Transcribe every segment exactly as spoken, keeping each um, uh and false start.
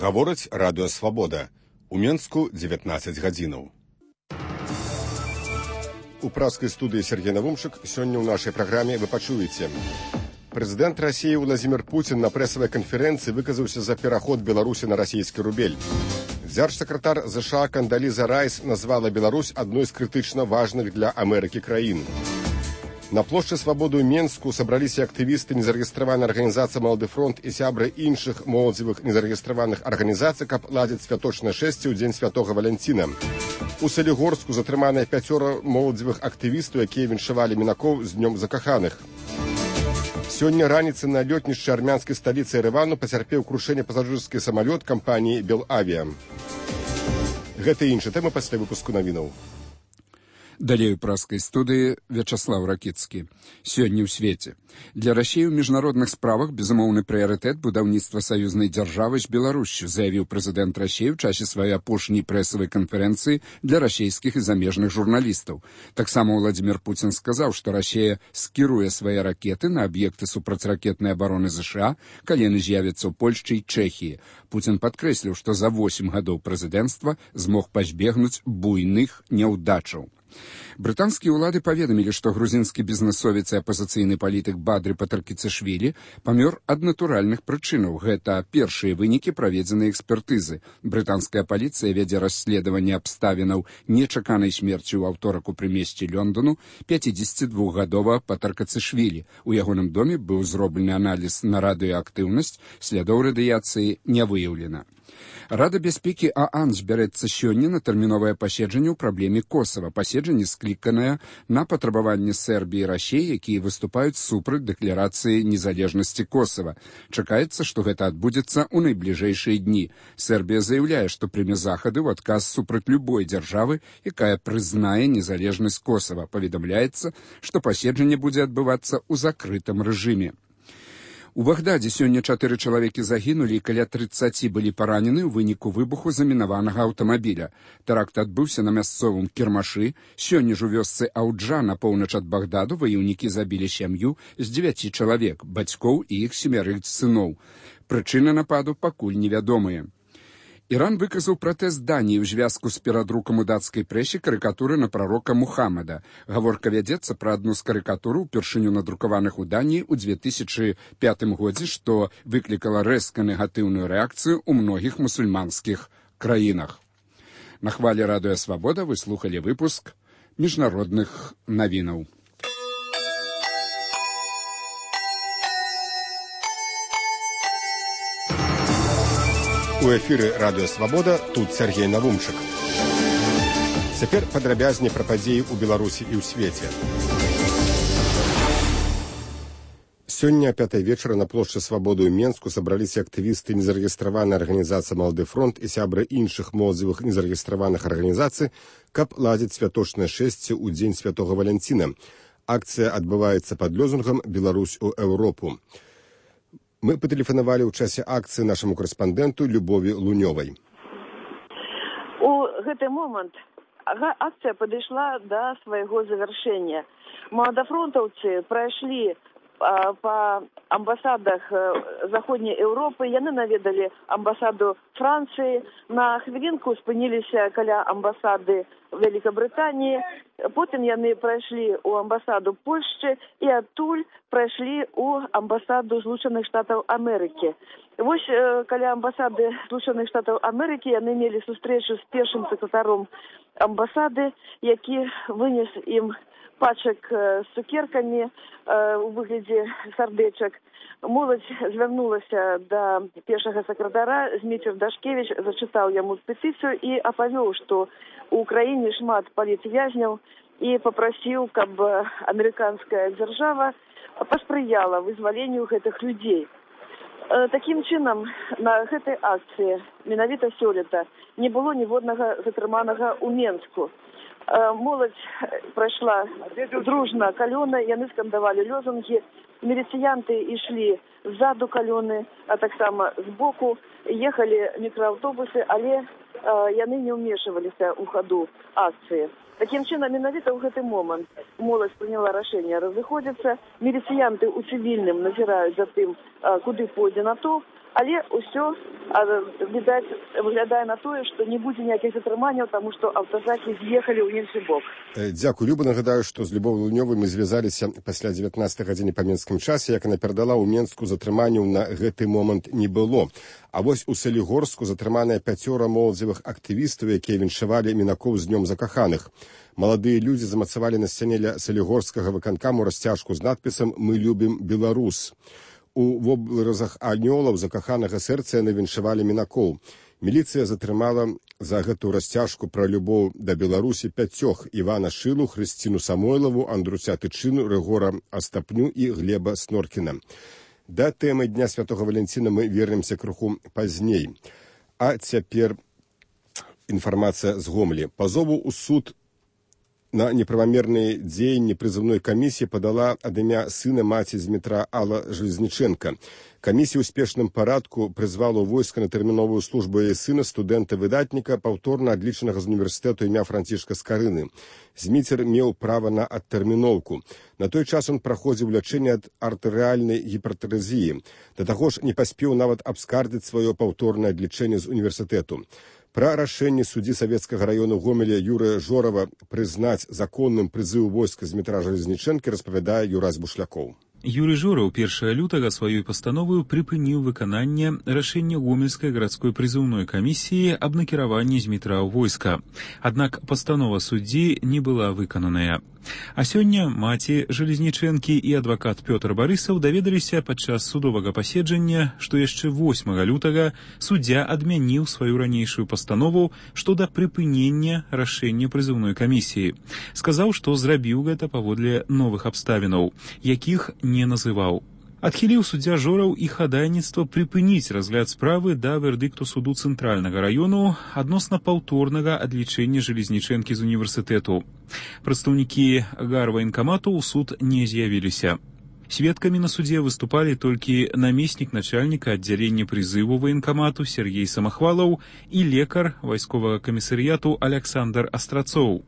Гаворыць радыё «Свабода». У Менску дзевятнаццаць гадзінаў. У праскай студыі Сергей Навумчык сёння ў нашай праграме вы пачуеце. Прэзідэнт Расіі Владзімір Пуцін на прэсавай канферэнцыі выказаўся за пераход Беларусі на расійскі рубель. Дзяржсакратар ЗША Кандаліза Райс назвала Беларусь адной з крытычна важных для Амерыкі краін. На плошчы Свабоды ў Менску сабраліся актывісты незарэгістраванай арганізацыі «Малады фронт» і сябры іншых моладзевых незарэгістраваных арганізацый, каб ладзіць святочнае шэсце ў дзень святога Валянціна. У Салігорску затрыманыя пяцёра моладзевых актывістаў, якія віншавалі мінакоў з днём закаханых. Сёння раніцай на лётнішчы армянскай сталіцы Ерэвану пацярпеў крушэнне пасажырскі самалёт кампаніі «Белавіа». Гэта і іншыя тэмы пасля выпуску навінаў. Далей у праскай студыі Вячаслав Ракіцкі. Сёння ў свеце. Для Расіі ў міжнародных справах безумоўны прыярытэт будаўніцтва саюзнай дзяржавы з Беларусю, заявіў прэзідэнт Расіі ў часе сваёй апошняй прэсавай канферэнцыі для расійскіх і замежных журналістаў. Таксама Владзімір Пуцін сказаў, што Расія скіруе свае ракеты на аб'екты супрацьракетнай абароны ЗША, калі яны з'явяцца ў Польшчы і Чэхіі. Пуцін падкрэсліў, што за восем гадоў прэзідэнцтва змог пазбегнуць буйных няўдачаў. Брытанскія ўлады паведамілі, што грузінскі бізнэсовец і апазіцыйны палітык Бадры Патаркіцашвілі памёр ад натуральных прычынаў. Гэта першыя вынікі праведзенай экспертызы. Брытанская паліцыя вядзе расследаванне абставінаў нечаканай смерці ў аўторак у прымесці Лондону пяцідзесяцідвухгадовага Патаркіцашвілі. У ягоным доме быў зроблены аналіз на радыеактыўнасць, слядоў радыяцыі не выяўлена. Рада бяспекі ААН збярэцца сёння на тэрміновае паседжанне ў праблеме Косава. Паседжанне скліканае на патрабаванне Сербіі і Расіі, якія выступаюць супраць дэкларацыі незалежнасці Косава. Чакаецца, што гэта адбудзецца ў найбліжэйшыя дні. Сербія заяўляе, што прыме захады ў адказ супраць любой дзяржавы, якая прызнае незалежнасць Косава. Паведамляецца, што паседжанне будзе адбывацца ў закрытым рэжыме. У Багдадзе сёння чатыры чалавекі загінулі і каля трыццаці былі паранены ў выніку выбуху замінаванага аўтамабіля. Тэракт адбыўся на мясцовым кірмашы. Сёння ж у вёсцы Ауджа на поўнач ад Багдаду ваяўнікі забілі сям'ю з дзевяці чалавек, бацькоў і іх семярых сыноў. Прычыны нападу пакуль невядомыя. Іран выказаў пратэст Даніі ў звязку з перадрукам у дацкай прэсе карыкатуры на прарока Мухаммада. Гаворка вядзецца пра адну з карыкатур, упершыню надрукаваных у Даніі ў дзве тысячы пятым годзе, што выклікала рэзка негатыўную рэакцыю ў многіх мусульманскіх краінах. На хвалі радыё «Свабода» вы слухалі выпуск міжнародных навінаў. У эфіры радыё «Свабода», тут Сергей Навумчык. Цяпер падрабязней пра падзеі ў Беларусі і ў свеце. Сёння а пятай вечара на плошчы Свабоды ў Менску сабраліся актывісты незарэгістраванай арганізацыі «Малады фронт» і сябры іншых моладзевых незарэгістраваных арганізацый, каб ладзіць святочнае шэсце ў дзень святога Валянціна. Акцыя адбываецца пад лозунгам «Беларусь у Еўропу». Мы патэлефанавалі ў часе акцыі нашаму корэспандэнту Любові Лунёвай. У гэты момант акцыя падышла да свайго завяршэння. Маладафронтаўцы прайшлі па амбасадах Заходняй Еўропы, яны наведалі амбасаду Францыі, на хвілінку спыніліся каля амбасады Вялікабрытаніі, потым яны прайшлі ў амбасаду Польшчы і адтуль прайшлі ў амбасаду Злучаных Штатаў Амерыкі. Вось каля амбасады Злучаных Штатаў Амерыкі яны мелі сустрэчу з першым сакратаром амбасады, які вынес ім пачак з цукеркамі у выглядзе сардэчак. Моладзь звярнулася да першага сакратара, Зміцер Дашкевіч зачытаў яму петыцыю і апавёў, што у краіне шмат палітвязняў і папрасіў, каб амерыканская дзяржава паспрыяла вызваленню гэтых людзей. Такім чынам, на гэтай акцыі менавіта сёлета не было ніводнага затрыманага ў Менску. Моладзь прайшла дружна калёны, яны скандавалі лозунгі, міліцыянты ішлі ззаду калёны, а таксама збоку, ехалі мікрааўтобусы, але яны не ўмешваліся ў хаду акцыі. Такім чынам, менавіта ў гэты момант моладзь прыняла рашэнне разыходзіцца, міліцыянты ў цывільным назіраюць за тым, куды пойдзе натоўп, Але ўсё, відаць, выглядае на тое, што не будзе ніякіх затрыманняў, таму што аўтазакі з'ехалі ў іншы бок. Дзякую, Люба. Нагадаю, што з Любовай Лунёвай мы звязаліся пасля дзевятнастай гадзіны па менскім часе, як яна перадала, ў Менску затрыманняў на гэты момант не было. А вось у Салігорску затрыманыя пяцёра моладзевых актывістаў, якія віншавалі мінакоў з днём закаханых. Маладыя людзі замацавалі на сцяне ля салігорскага выканкаму расцяжку з надпісам «Мы любім Беларус». У вобразах анёлаў закаханага сэрца яны віншавалі мінакоў. Міліцыя затрымала за гэту расцяжку пра любоў да Беларусі пяцёх: Івана Шылу, Хрысціну Самойлаву, Андруся Тычыну, Рыгора Астапню і Глеба Сноркіна. Да тэмы Дня Святога Валянціна мы вернемся крыху пазней. А цяпер інфармацыя з Гомелі. Пазову ў суд на неправамерныя дзеянні прызыўной камісіі падала ад імя сына маці Змітра Алла Железніченка. Камісія ў спешным парадку прызвала ў войска на тэрміновую службу яе сына, студэнта-выдатніка, паўторна адлічанага з універсітэту імя Францішка Скарыны. Зміцер меў права на адтэрміноўку. На той час он праходзіў лячэнне ад артэрыяльнай гіпертэнзіі. Да таго ж не паспеў нават абскардзіць сваё паўторнае адлічэнне з універсітэту. Пра рашэнне суддзі савецкага раёну Гомеля Юрыя Жорава прызнаць законным прызыў войска Змітра Железнічэнкі распавядае Юрась Бушлякоў. Юрий Жораў першага лютага сваёй пастановою прыпыніў выкананне рашэння Гомельскай гарадской прызыўной камісіі аб накіраванні Змітра ў войска. Аднак пастанова суддзі не была выкананая. А сёння маці Железнічэнкі і адвакат Пётр Барысаў даведаліся падчас судовага паседжання, што яшчэ восьмага лютага суддзя адмяніў сваю ранейшую пастанову што да прыпынення рашэння прызыўной камісіі. Сказаў, што зрабіў гэта паводле новых абставінаў, якіх не называў. Адхіліў суддзя Жораў і хадайніцтва прыпыніць разгляд справы да вердыкту суду цэнтральнага раёну адносна паўторнага адлічэння Железнічэнкі з універсітэту. Прадстаўнікі гарваенкамату ў суд не з'явіліся. Сведкамі на судзе выступалі толькі намеснік начальніка аддзялення прызыву ваенкамату Сергей Самахвалаў і лекар вайсковага камісарыяту Александр Астрацоў.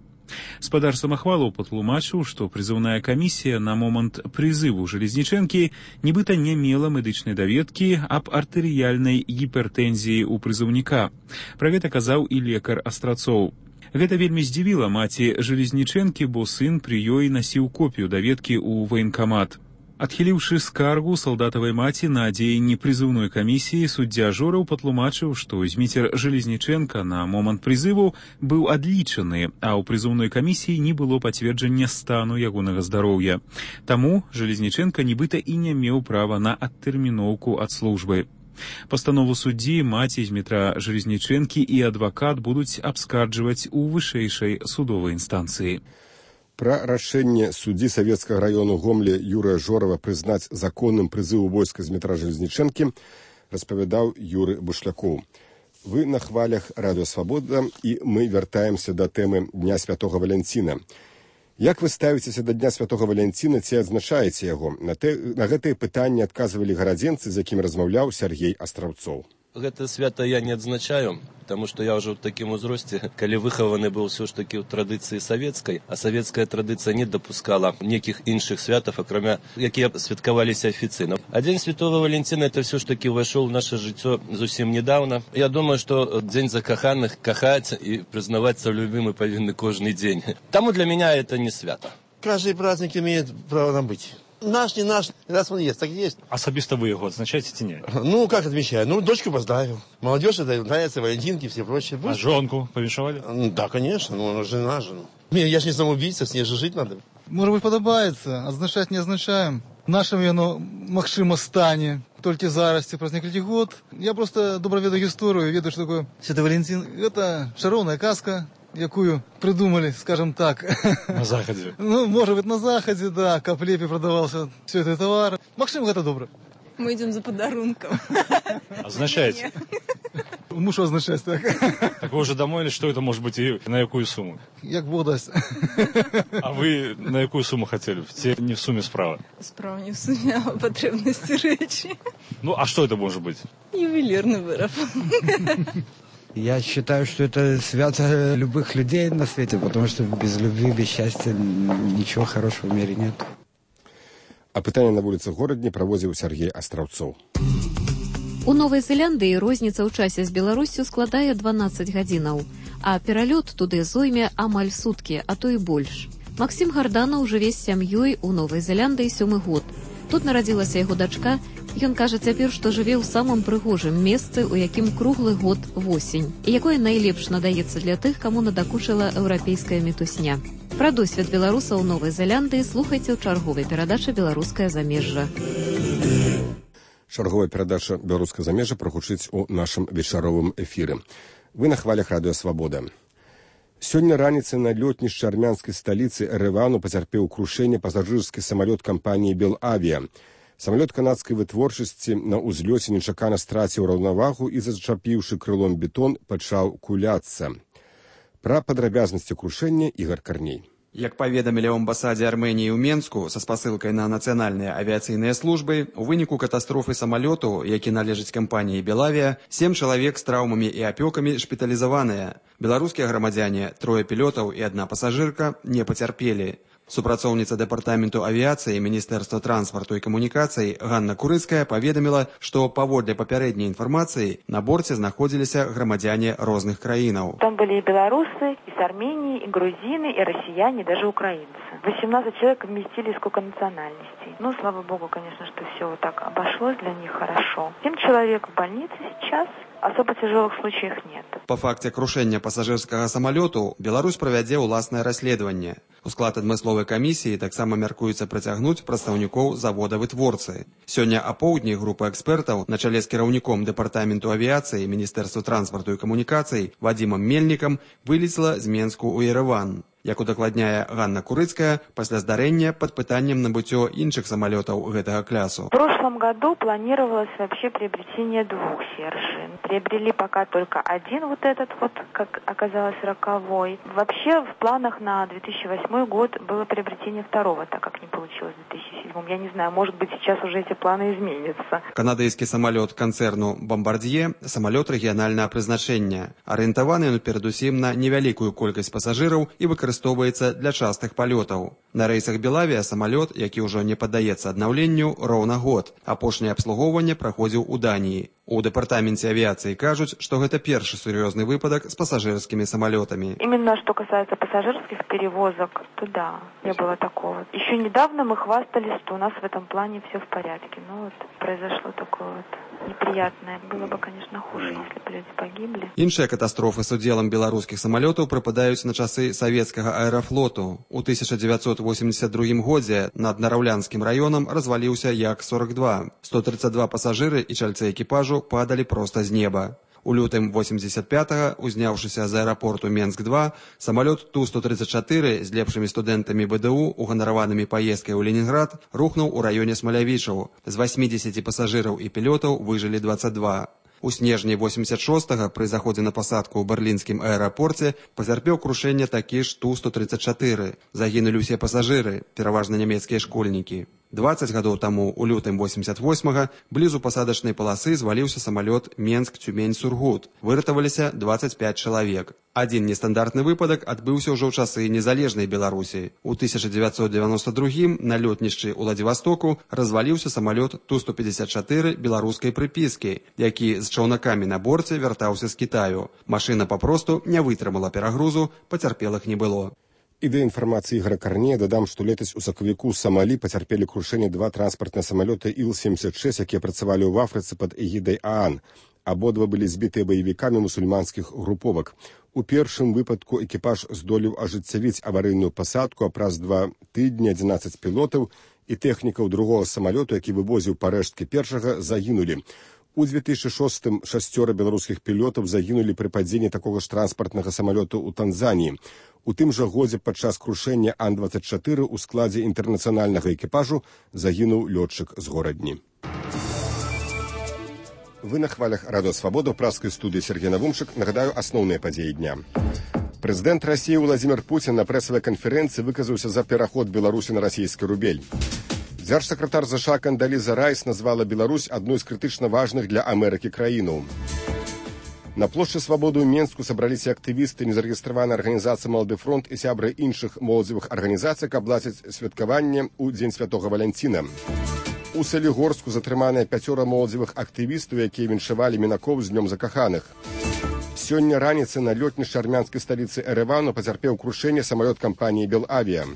Спадар Самахвалаў патлумачыў, што прызыўная камісія на момант прызыву Железнічэнкі нібыта не мела медычнай даведкі аб артэрыяльнай гіпертэнзіі ў прызыўніка. Пра гэта казаў і лекар Астрацоў. Гэта вельмі здзівіла маці Железнічэнкі, бо сын пры ёй насіў копію даведкі ў ваенкамат. Адхіліўшы скаргу салдатавай маці на дзеянні прызыўной камісіі, суддзя Жораў патлумачыў, што Зміцер Железнічэнка на момант прызыву быў адлічаны, а ў прызыўной камісіі не было пацверджання стану ягонага здароўя. Таму Железнічэнка нібыта і не меў права на адтэрміноўку ад службы. Пастанову суддзі маці Змітра Железнічэнкі і адвакат будуць абскарджваць у вышэйшай судовай інстанцыі. Пра рашэнне суддзі савецкага раёну Гомеля Юрыя Жорава прызнаць законным прызыву войска Змітра Железнічэнкі распавядаў Юрый Бушлякоў. Вы на хвалях Радыё Свабода, і мы вяртаемся да тэмы Дня Святога Валянціна. Як вы ставіцеся да Дня Святога Валянціна, ці адзначаеце яго? На, те, на гэтыя пытанні адказвалі гарадзенцы, з якім размаўляў Сергей Астраўцоў. Гэта свята я не адзначаю, потому что я ўжо ў такім узросце, калі выхаваны быў ўсё ж такі ў традыцыі савецкай, а савецкая традыцыя не дапускала некіх іншых святаў, акрамя якія святкаваліся афіцыйна. А Дзень Святого Валянціна это все ж таки ўвайшоў у наше жыццё зусім недавно. Я думаю, што Дзень закаханых кахаць і прызнавацца любімы павінны кожны дзень. Таму для меня это не свята. Каждый праздник имеет право на быть. Наш, не наш, раз он есть, так есть. Особисто вы его отзначаете, ці не? Ну, как отмечаю? Ну, дочку поздравил. Молодежь это нравится, валентинки, все прочее. А жонку повіншавали? Да, конечно, ну, жена же. Я ж не самоубийца, с ней же жить надо. Может быть, подобаецца, адзначаць не адзначаем. Нашым яно, магчыма, стане. Толькі зараз ці праз некалькі год. Я просто добра ведаю гісторыю, ведаю, што такое Святы Валентин. Это шароўная казка, якую придумали, скажем так. На Заходе. Ну, может быть, на Заходе, да, каб лепей продавался все это товар. Максим, это добро. Мы идем за подарунком. Означаете? Муж означает так. Так вы уже домовились, что это может быть и на какую сумму? Як Бог даст. А вы на какую сумму хотели? Те не в сумме справа? Справа не в сумме, а потребности речи. Ну, а что это может быть? Ювелирный выроб. Я считаю, что это свято любых людей на свете, потому что без любви, без счастья ничего хорошего в мире нет. А пытанне на вуліцах горадні праводзіў Сергей Астраўцоў. У Новай Зеландыі розніца ў часе з Беларуссю складае дванаццаць гадзінаў, а пералёт туды зойме амаль суткі, а то і больш. Максім Гарданаў жыве з сям'ёй у Новай Зеландыі сёмы год. Тут нарадзілася яго дачка. Ён кажа цяпер, што жыве ў самым прыгожым месцы, у якім круглы год восень, і якое найлепш надаецца для тых, каму надакучыла еўрапейская мітусня. Пра досвед беларусаў Новай Зеландыі слухайце ў чарговай перадачы «Беларускае замежжа». Чарговая перадача «Беларускае замежжа» прагучыць у нашым вечаровым эфіры. Вы на хвалях радыё «Свабода». Сёння раніцай на лётнішчы армянскай сталіцы Эрэвану пацярпеў крушэнне пасажырскі самалёт кампаніі «Белавіа». Самалёт канадскай вытворчасці на ўзлёце нечакана страціў раўнавагу і, зачапіўшы крылом бетон, пачаў куляцца. Пра падрабязнасці крушэння Ігар Карней. Як паведамілі ў амбасадзе Арменіі ў Менску са спасылкай на нацыянальныя авіяцыйныя службы, у выніку катастрофы самалёту, які належыць кампаніі «Белавіа», сем чалавек з траўмамі і апёкамі шпіталізаваныя. Беларускія грамадзяне, трое пілётаў і адна пасажырка не пацярпелі. Супрацоўніца дэпартаменту авіяцыі Міністэрства транспарту і камунікацый Ганна Курыцкая паведаміла, што паводле папярэдняй інфармацыі на борце знаходзіліся грамадзяне розных краінаў. Там были и белорусы, и с Армении, и грузины, и россияне, и даже украинцы. восемнадцать человек вместили, сколько национальностей. Ну, слава богу, конечно, что все вот так обошлось для них хорошо. семь человек в больнице сейчас. Особо тяжелых случаев нет. Па факце крушэння пасажырскага самалёту Беларусь правядзе ўласнае расследаванне. У склад адмысловай камісіі таксама мяркуецца прыцягнуць прадстаўнікоў завода-вытворцы. Сёння апоўдні група экспертаў на чале з кіраўніком дэпартаменту авіяцыі Міністэрства транспарту і камунікацый Вадзімам Мельнікам вылецела з Менску ў Ерэван. Як удакладняе Ганна Курыцкая, пасля здарэння пад пытаннем набыццё іншых самалётаў гэтага клясу. В прошлом году планировалось вообще приобретение двух Сержин. Приобрели пока только один вот этот вот, как оказалось, роковой. Вообще в планах на две тысячи восьмой год было приобретение второго, так как не получилось в две тысячи седьмом. Я не знаю, может быть, сейчас уже эти планы изменятся. Канадыйскі самалёт канцэрну «Бомбардье» – самалёт рэгіянальнага прызначэння. Арыентаваны ён перадусім на невялікую колькасць пасажыраў і выкарыстоўваецца для частых палётаў. На рэйсах «Белавіа» самалёт, які ўжо не паддаецца аднаўленню, роўна год. Апошняе абслугоўванне праходзіў у Даніі. У дэпартаменце авіяцыі кажуць, што гэта першы сур'ёзны выпадак з пасажырскімі самалётамі. Именно что касается пассажирских перевозок, то да, не было такого. Еще недавно мы хвастались, что у нас в этом плане все в порядке. Ну вот произошло такое вот неприятное. Было бы, конечно, хуже, если бы люди погибли. Іншыя катастрофы з удзелам беларускіх самалётаў прыпадаюць на часы савецкага аэрафлоту. У тысяча дзевяцьсот восемьдесят другім годзе над Нараўлянскім раёнам разваліўся Як сорок два. сто тридцать два пасажыры і чальцы экіпажу падалі проста з неба. У лютым восемьдесят пятага, узняўшыся з аэрапорту Менск два, самалёт Ту сто тридцать чатыры з лепшымі студэнтамі БДУ, уганараванымі паездкай у Ленінград, рухнуў у раёне Смалявічаў. З восьмидесяти пасажыраў і пілётаў выжылі двадцать два. У снежні восемьдесят шостага пры заходзе на пасадку ў берлінскім аэрапорце пацярпеў крушэнне такі ж Ту сто тридцать чатыры. Загінулі ўсе пасажыры, пераважна нямецкія школьнікі. двадцать гадоў таму, у лютым восемьдесят восьмага, блізу пасадачнай паласы зваліўся самалёт Менск-Цюмень-Сургут. Выратаваліся двадцать пять чалавек. Адзін нестандартны выпадак адбыўся ўжо ў часы незалежнай Беларусі. У тысяча дзевяцьсот девяносто другім на лётнішчы ў Владзівастоку разваліўся самалёт Ту сто пятьдесят чатыры беларускай прыпіскі, які з чаўнакамі на борце вяртаўся з Кітаю. Машына папросту не вытрымала перагрузу, пацярпелых не было. І да інфармацыі Ігара Карнея дадам, што летась у сакавіку з Самалі пацярпелі крушэнне два транспартныя самалёты Іл семьдесят шесть, якія працавалі ў Афрыцы пад эгідай ААН. Абодва былі збітыя баевікамі мусульманскіх груповак. У першым выпадку экіпаж здолеў ажыццявіць аварыйную пасадку, а праз два тыдні адзінаццаць пілотаў і тэхнікаў другога самалёту, які вывозіў парэшткі першага, загінулі. У две тысячи шостым шасцёра беларускіх пілотаў загінулі пры падзенні такога ж транспартнага самалёту ў Танзаніі. У тым жа годзе падчас крушэння Ан двадцать чатыры ў складзе інтэрнацыянальнага экіпажу загінуў лётчык з горадні. Вы на хвалях радыё «Свабода» ў праскай студыі Сергей Навумшык. Нагадаю асноўныя падзеі дня. Прэзідэнт Расіі Владзімір Пуцін на прэсавай канферэнцыі выказаўся за пераход Беларусі на расійскі рубель. Дзяржсакратар ЗША Кандаліза Райс назвала Беларусь адной з крытычна важных для Амерыкі краінаў. На плошчы Свабоды ў Менску сабраліся актывісты незарэгістраванай арганізацыі «Малады фронт» і сябры іншых моладзевых арганізацый, каб ладзіць святкаванне ў Дзень святога Валянціна. У У Салігорску затрыманыя пяцёра моладзевых актывістаў, якія віншавалі мінакоў з днём закаханых. Сёння раніцай на лётнішчы армянскай сталіцы Эрэвану пацярпеў крушэнне самалёт кампаніі «Белавіа».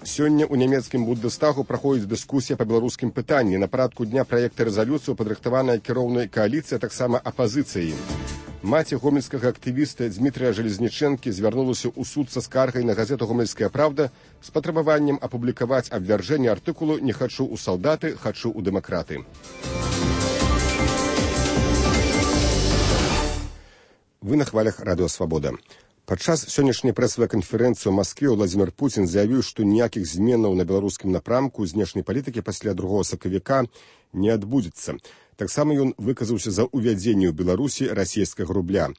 Сёння ў нямецкім Бундестагу праходзіць дыскусія па беларускім пытанні. На парадку дня праекта рэзалюцыю падрыхтаваная кіроўнай кааліцыяй, таксама апазіцыяй. Маці гомельскага актывіста Дмітрыя Жалезнічэнкі звярнулася ў суд са скаргай на газету «Гомельская правда» з патрабаваннем апублікаваць абвяржэнне артыкулу «Не хачу ў салдаты, хачу ў дэмакраты». Вы на хвалях радыё «Свабода». Падчас сённяшняй прэсавай канферэнцыі ў Маскве Владзімір Пуцін заявіў, што ніякіх зменаў на беларускім напрамку знешняй палітыкі пасля другога сакавіка не адбудзецца. Таксама ён выказаўся за ўвядзенне ў Беларусі расійскага рубля.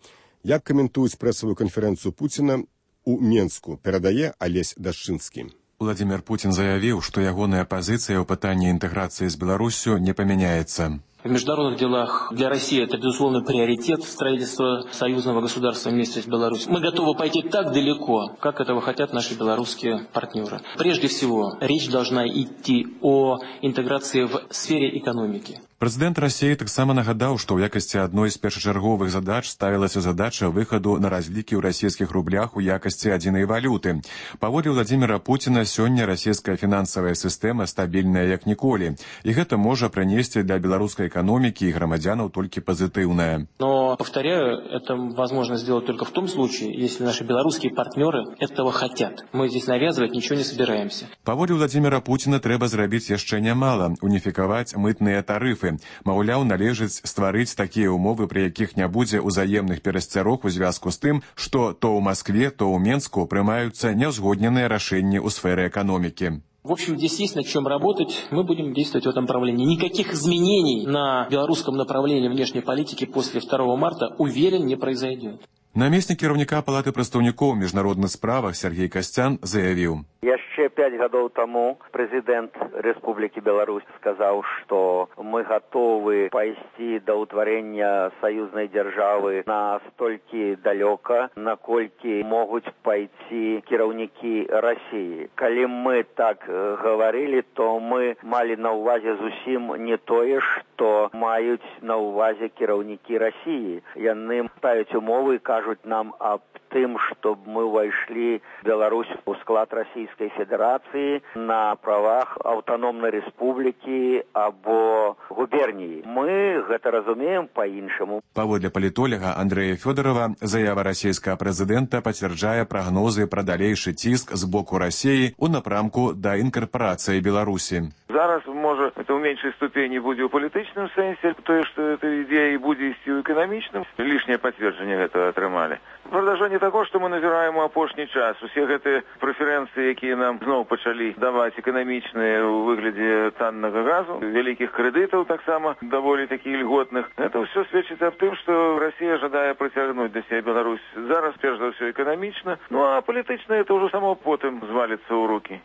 Як каментуюць прэсавую канферэнцыю Пуціна у Менску, перадае Алесь Дашчынскі. Владзімір Пуцін заявіў, што ягоная пазіцыя ў пытанні інтэграцыі з Беларуссю не памяняецца. В международных делах для России это, безусловно, приоритет строительства союзного государства вместе с Беларусью. Мы готовы пойти так далеко, как этого хотят наши белорусские партнеры. Прежде всего, речь должна идти о интеграции в сфере экономики. Прэзідэнт Расіі таксама нагадаў, што ў якасці адной з першачарговых задач ставілася задача выхаду на разлікі ў расійскіх рублях у якасці адзінай валюты. Паводле Владзіміра Пуціна, сёння расійская фінансавая сістэма стабільная як ніколі, і гэта можа прынесці для беларускай экономики и громадянам только позитивное. Но, повторяю, это возможно сделать только в том случае, если наши белорусские партнеры этого хотят. Мы здесь навязывать ничего не собираемся. Паводле Владзіміра Пуціна трэба зрабіць яшчэ нямала, уніфікаваць мытныя тарыфы. Маўляў, належыць стварыць такія ўмовы, пры якіх не будзе ўзаемных перасцярог у звязку з тым, што то ў Маскве, то ў Менску прымаюцца няўзгодненыя рашэнні ў сферы эканомікі. В общем, здесь есть над чем работать. Мы будем действовать в этом направлении. Никаких изменений на белорусском направлении внешней политики после второго марта, уверен, не произойдет. Намеснік кіраўніка палаты прадстаўнікоў у міжнародных справах Сергей Касцян заявіў. Яшчэ пять гадоў таму прэзідэнт Рэспублікі Беларусь сказаў, што мы гатовы пайсці да ўтварэння саюзнай дзяржавы настолькі далёка, наколькі могуць пайсці кіраўнікі Расіі. Калі мы так гаварылі, то мы малі на ўвазе зусім не тое, што маюць на ўвазе кіраўнікі Расіі. Яны ставяць умовы, кажуць нам об тым, чтобы мы войшли в Беларусь у склад Российской Федерации на правах автономной республики або губернии. Мы гэта разумеем по-іншаму. Паводле палітолага Андрэя Фёдорова, заява расійскага прэзідэнта пацвярджае прагнозы пра далейшы ціск з боку Расіі ў напрамку да інкарпорацыі Беларусі. Зараз, можа, это ў меншай ступені будзе ў палітычным сэнсе, тое, што эта ідея будзе ісці ў эканамічным. Лішняе пацверджанне гэтага атрымалі. Прадажанне таго, што мы назіраем у апошні час. Усе гэтыя прэферэнцыі, якія нам зноў пачалі даваць эканамічныя ў выглядзе таннага газу, вялікіх крэдытаў таксама даволі такіх льготных. Это ўсё сведчыць аб тым, што Расія жадае прыцягнуць да сябе Беларусь. Зараз, перш за ўсё, эканамічна, ну а палітычна это ўжо само потым зваліцца ў рукі.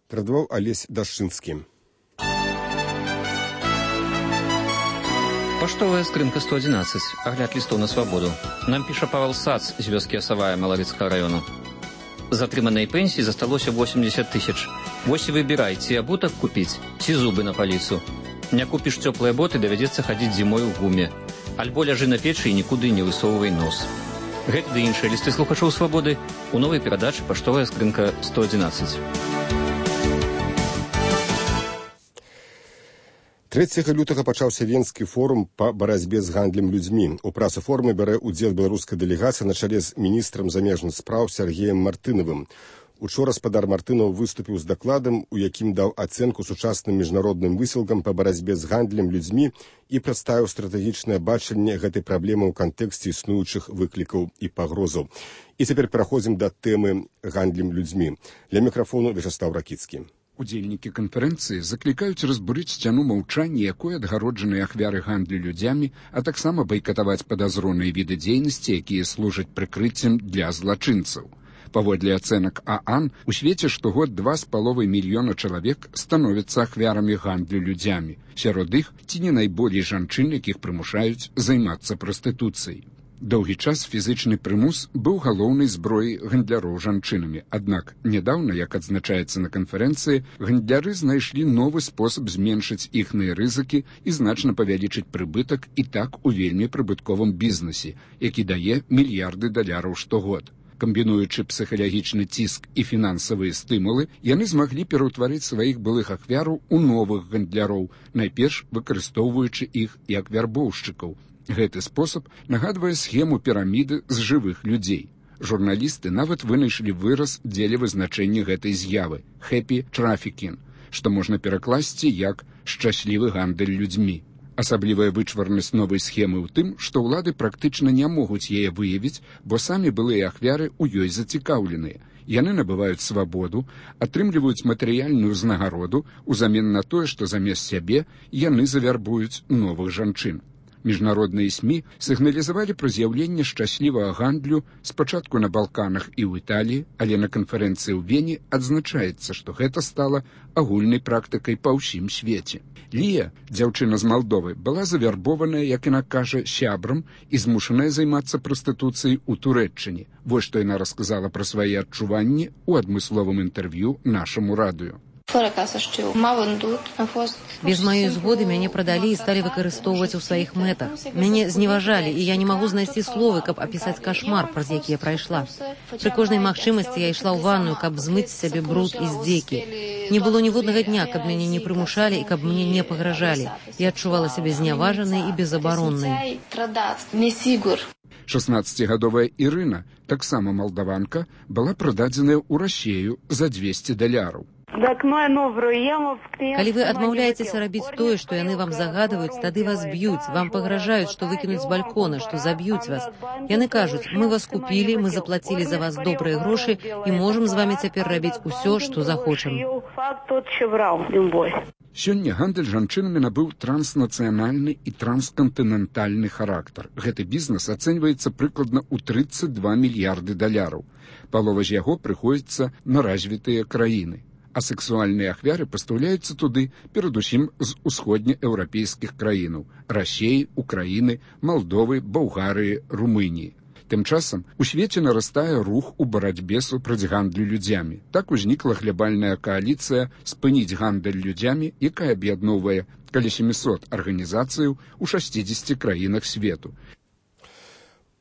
Перадаваў Алесь Дашчынскі. Паштовая скрынка сто одиннадцать. Огляд листов на свободу. Нам піша Павел Сац з вёскі Асавая Малавіцкага району. З атрыманай пенсіі засталося восемьдесят тысяч. Вось і выбірай, ці абутак купіць, ці зубы на паліцу. Не купіш цёплыя боты, давядзецца хадзіць зімой у гуме. Альбо ляжы на печы і нікуды не высоўвай нос. Гэты ды іншыя лісты слухачоў свабоды у новай перадачы «Паштовая скрынка сто одиннадцать». трэцяга лютага пачаўся Венскі форум па барацьбе з гандлем людзьмі. У працы форума бярэ ўдзел беларуская дэлегацыя на чале з міністрам замежных спраў Сергеем Мартынавым. Учора спадар Мартынаў выступіў з дакладам, у якім даў ацэнку сучасным міжнародным высілкам па барацьбе з гандлем людзьмі і прадставіў стратэгічнае бачанне гэтай праблемы ў кантэксце існуючых выклікаў і пагрозаў. І цяпер пераходзім да тэмы гандлем людзьмі. Ля мікрафону Вячаслав Ракіцкі. Удзельнікі канферэнцыі заклікаюць разбурыць сцяну маўчання, якой адгароджаны ахвяры гандлю людзямі, а таксама байкатаваць падазроныя віды дзейнасці, якія служаць прыкрыццем для злачынцаў. Паводле ацэнак ААН, у свеце штогод два з паловай мільёна чалавек становяцца ахвярамі гандлю людзямі. Сярод іх ці не найболей жанчын, якіх прымушаюць займацца прастытуцыяй. Доўгі час фізычны прымус быў галоўнай зброяй гандляроў жанчынамі. Аднак нядаўна, як адзначаецца на канферэнцыі, гандляры знайшлі новы спосаб зменшыць іхныя рызыкі і значна павялічыць прыбытак і так у вельмі прыбытковым бізнесе, які дае мільярды даляраў штогод. Камбінуючы псіхалагічны ціск і фінансавыя стымулы, яны змаглі пераўтварыць сваіх былых ахвяраў у новых гандляроў, найперш выкарыстоўваючы іх як вярбоўшчыкаў. Гэты спосаб нагадвае схему піраміды з жывых людзей. Журналісты нават вынайшлі выраз дзеля вызначэння гэтай з'явы – «хэпі трафікін», што можна перакласці як «шчаслівы гандаль людзьмі». Асаблівая вычварнасць новай схемы ў тым, што ўлады практычна не могуць яе выявіць, бо самі былыя ахвяры ў ёй зацікаўленыя. Яны набываюць свабоду, атрымліваюць матэрыяльную ўзнагароду ўзамен на тое, што замест сябе яны завярбуюць новых жанчын. Міжнародныя СМІ сігналізавалі пра з'яўленне шчаслівага гандлю спачатку на Балканах і ў Італіі, але на канферэнцыі ў Вені адзначаецца, што гэта стала агульнай практыкай па ўсім свеце. Лія, дзяўчына з Малдовы, была завярбованая, як яна кажа, сябрам і змушаная займацца прастытуцыяй у Турэччыне. Вось што яна расказала пра свае адчуванні ў адмысловым інтэрв'ю нашаму радыё. Без моей згоды мяне прадалі і сталі выкарыстоўваць у сваіх мэтах. Мяне зневажалі, і я не магу знайсці словы, каб апісаць кашмар, праз які я прайшла. Пры кожнай магчымасці я ішла ў ванную, каб змыць з сябе бруд і здзекі. Не было ніводнага дня, каб мяне не прымушалі і каб мне не пагражалі. Я адчувала сябе зняважанай і безабароннай. шаснаццацігадовая Ірына, таксама малдаванка, была прададзеная ў Расею за дзвесце даляраў. Калі вы адмаўляецеся рабіць тое, што яны вам загадваюць, тады вас б'юць, вам пагражаюць, што выкінуць з балькона, што заб'юць вас. Яны кажуць, мы вас купілі, мы заплацілі за вас добрыя грошы і можам з вамі цяпер рабіць усё, што захочам. Сёння гандаль жанчынамі набыў транснацыянальны і транскантынентальны характар. Гэты бізнес ацэньваецца прыкладна ў трыццаць два мільярды даляраў. Палова з яго прыходзіцца на развітыя краіны. А сексуальныя ахвяры пастаўляюцца туды, перадусім з усходнееўрапейскіх краінаў – Расеі, Украіны, Малдовы, Балгарыі, Румыніі. Тым часам у свеце нарастае рух у барацьбе супраць гандлю людзямі. Так узнікла глобальная кааліцыя «Спыніць гандаль людзямі», якая аб'ядноўвае каля сямісот арганізацыяў у шасцідзесяці краінах свету.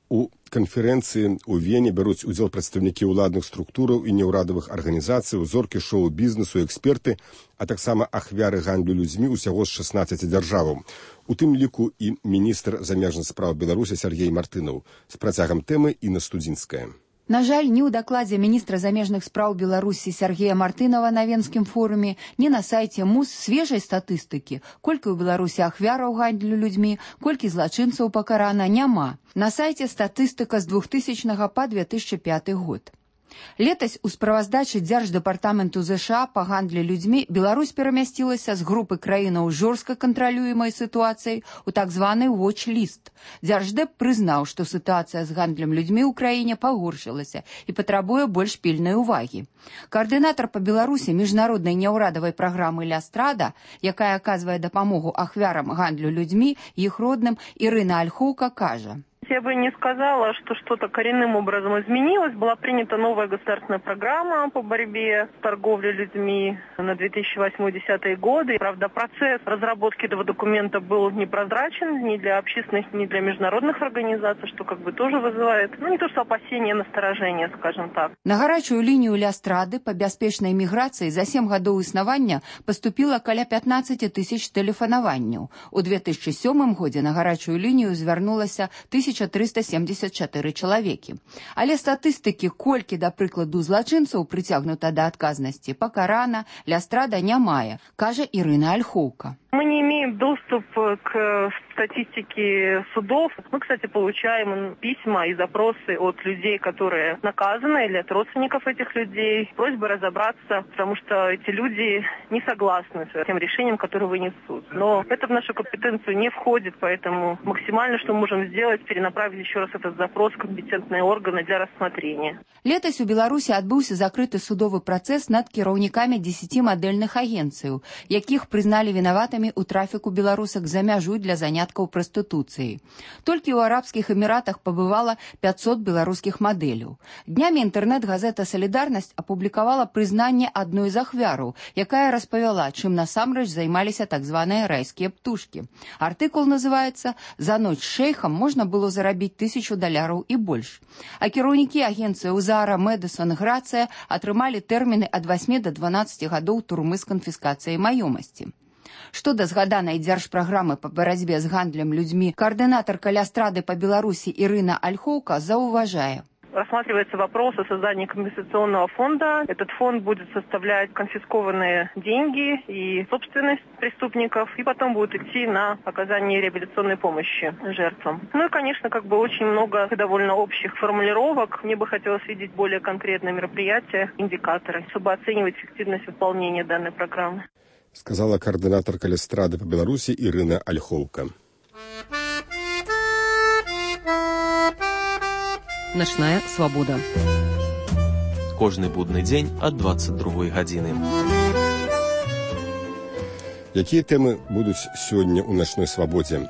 У канферэнцыі ў Вені бяруць удзел прадстаўнікі ўладных структураў і неўрадавых арганізацый, узоркі шоу-бізнесу, эксперты, а таксама ахвяры гандлю людзьмі ўсяго з шаснаццаці дзяржаваў. У тым ліку і міністр замежных спраў Беларусі Сяргей Мартынаў. З працягам тэмы Інна Студзінская. На жаль, ні ў дакладзе міністра замежных спраў Беларусі Сяргея Мартынова на Венскім форуме, ні на сайце МУС свежай статыстыкі, колькі ў Беларусі ахвяраў гандлю людзьмі, колькі злачынцаў пакарана, няма. На сайце статыстыка з двухтысячнага па две тысячы пяты год. Летась у справаздачы Дзярждэпартаменту ЗША па гандлі людзьмі Беларусь перамясцілася з групы краінаў жорстка кантралюемай сітуацыяй у так званы watch-ліст. Дзярждэп прызнаў, што сітуацыя з гандлем людзьмі ў краіне пагоршылася і патрабуе больш пільнай увагі. Каардынатар па Беларусі міжнароднай няўрадавай праграмы «Лястрада», якая аказвае дапамогу ахвярам гандлю людзьмі, іх родным, Ірына Альхоўка кажа. Я бы не сказала, что что-то коренным образом изменилось. Была принята новая государственная программа по борьбе с торговлей людьми на две тысячи восьмой — две тысячи десятый годы. Правда, процесс разработки этого документа был непрозрачен ни для общественных, ни для международных организаций, что как бы тоже вызывает, ну не то что опасения, насторожение, скажем так. На гарачую лінію Лястрады па бяспечнай міграцыі за сем гадоў існавання паступіла каля пятнаццаць тысяч тэлефанаванняў. У две тысячи сёмым годзе на гарачую лінію звярнулася тысяча трыста семьдесят чатыры чалавекі. Але статыстыкі, колькі, да прыкладу, злачынцаў прыцягнута да адказнасці, пакарана, Лястрада не мае, кажа Ірына Альхоўка. Мы не имеем доступ к статистике судов. Мы, кстати, получаем письма и запросы от людей, которые наказаны, или от родственников этих людей. Просьба разобраться, потому что эти люди не согласны с тем решением, которое вынесут. Но это в нашу компетенцию не входит, поэтому максимально, что мы можем сделать, перенаправить направить еще раз этот запрос в компетентные органы для рассмотрения. Летась у Беларусі адбыўся закрыты судовы працэс над кіраўнікамі дзесяці мадэльных агенцыяў, якіх прызналі вінаватымі ў трафіку беларусак за мяжу для заняткаў прастытуцыі. Толькі ў арабскіх эміратах пабывала пятьсот беларускіх мадэляў. Днямі інтэрнэт-газета «Салідарнасць» апублікавала прызнанне адной з ахвяраў, якая распавяла, чым насамрэч займаліся так званыя райскія птушкі. Артыкул называецца «За ноч з шэйхам можна было зарабіць тысячу даляраў і больш». А кіраўнікі агенцыяў Зара, Мэдысон, Грацыя атрымалі тэрміны ад васьмі да дванаццаці гадоў турмы з канфіскацыяй маёмасці. Што да згаданай дзяржпраграмы па барацьбе з гандлем людзьмі, коаардынатар калястрады па Беларусі Ірына Альхоўка заўважае. Рассматривается вопрос о создании компенсационного фонда. Этот фонд будет составлять конфискованные деньги и собственность преступников, и потом будет идти на оказание реабилитационной помощи жертвам. Ну и, конечно, как бы очень много довольно общих формулировок. Мне бы хотелось видеть более конкретные мероприятия, индикаторы, чтобы оценивать эффективность выполнения данной программы. Сказала координатор калястрады по Беларуси Ирина Ольховка. Начная свобода. Кожны будны дзень ад двадцать другой гадзіны. Якія тэмы будуць сёння ў начной свабодзе?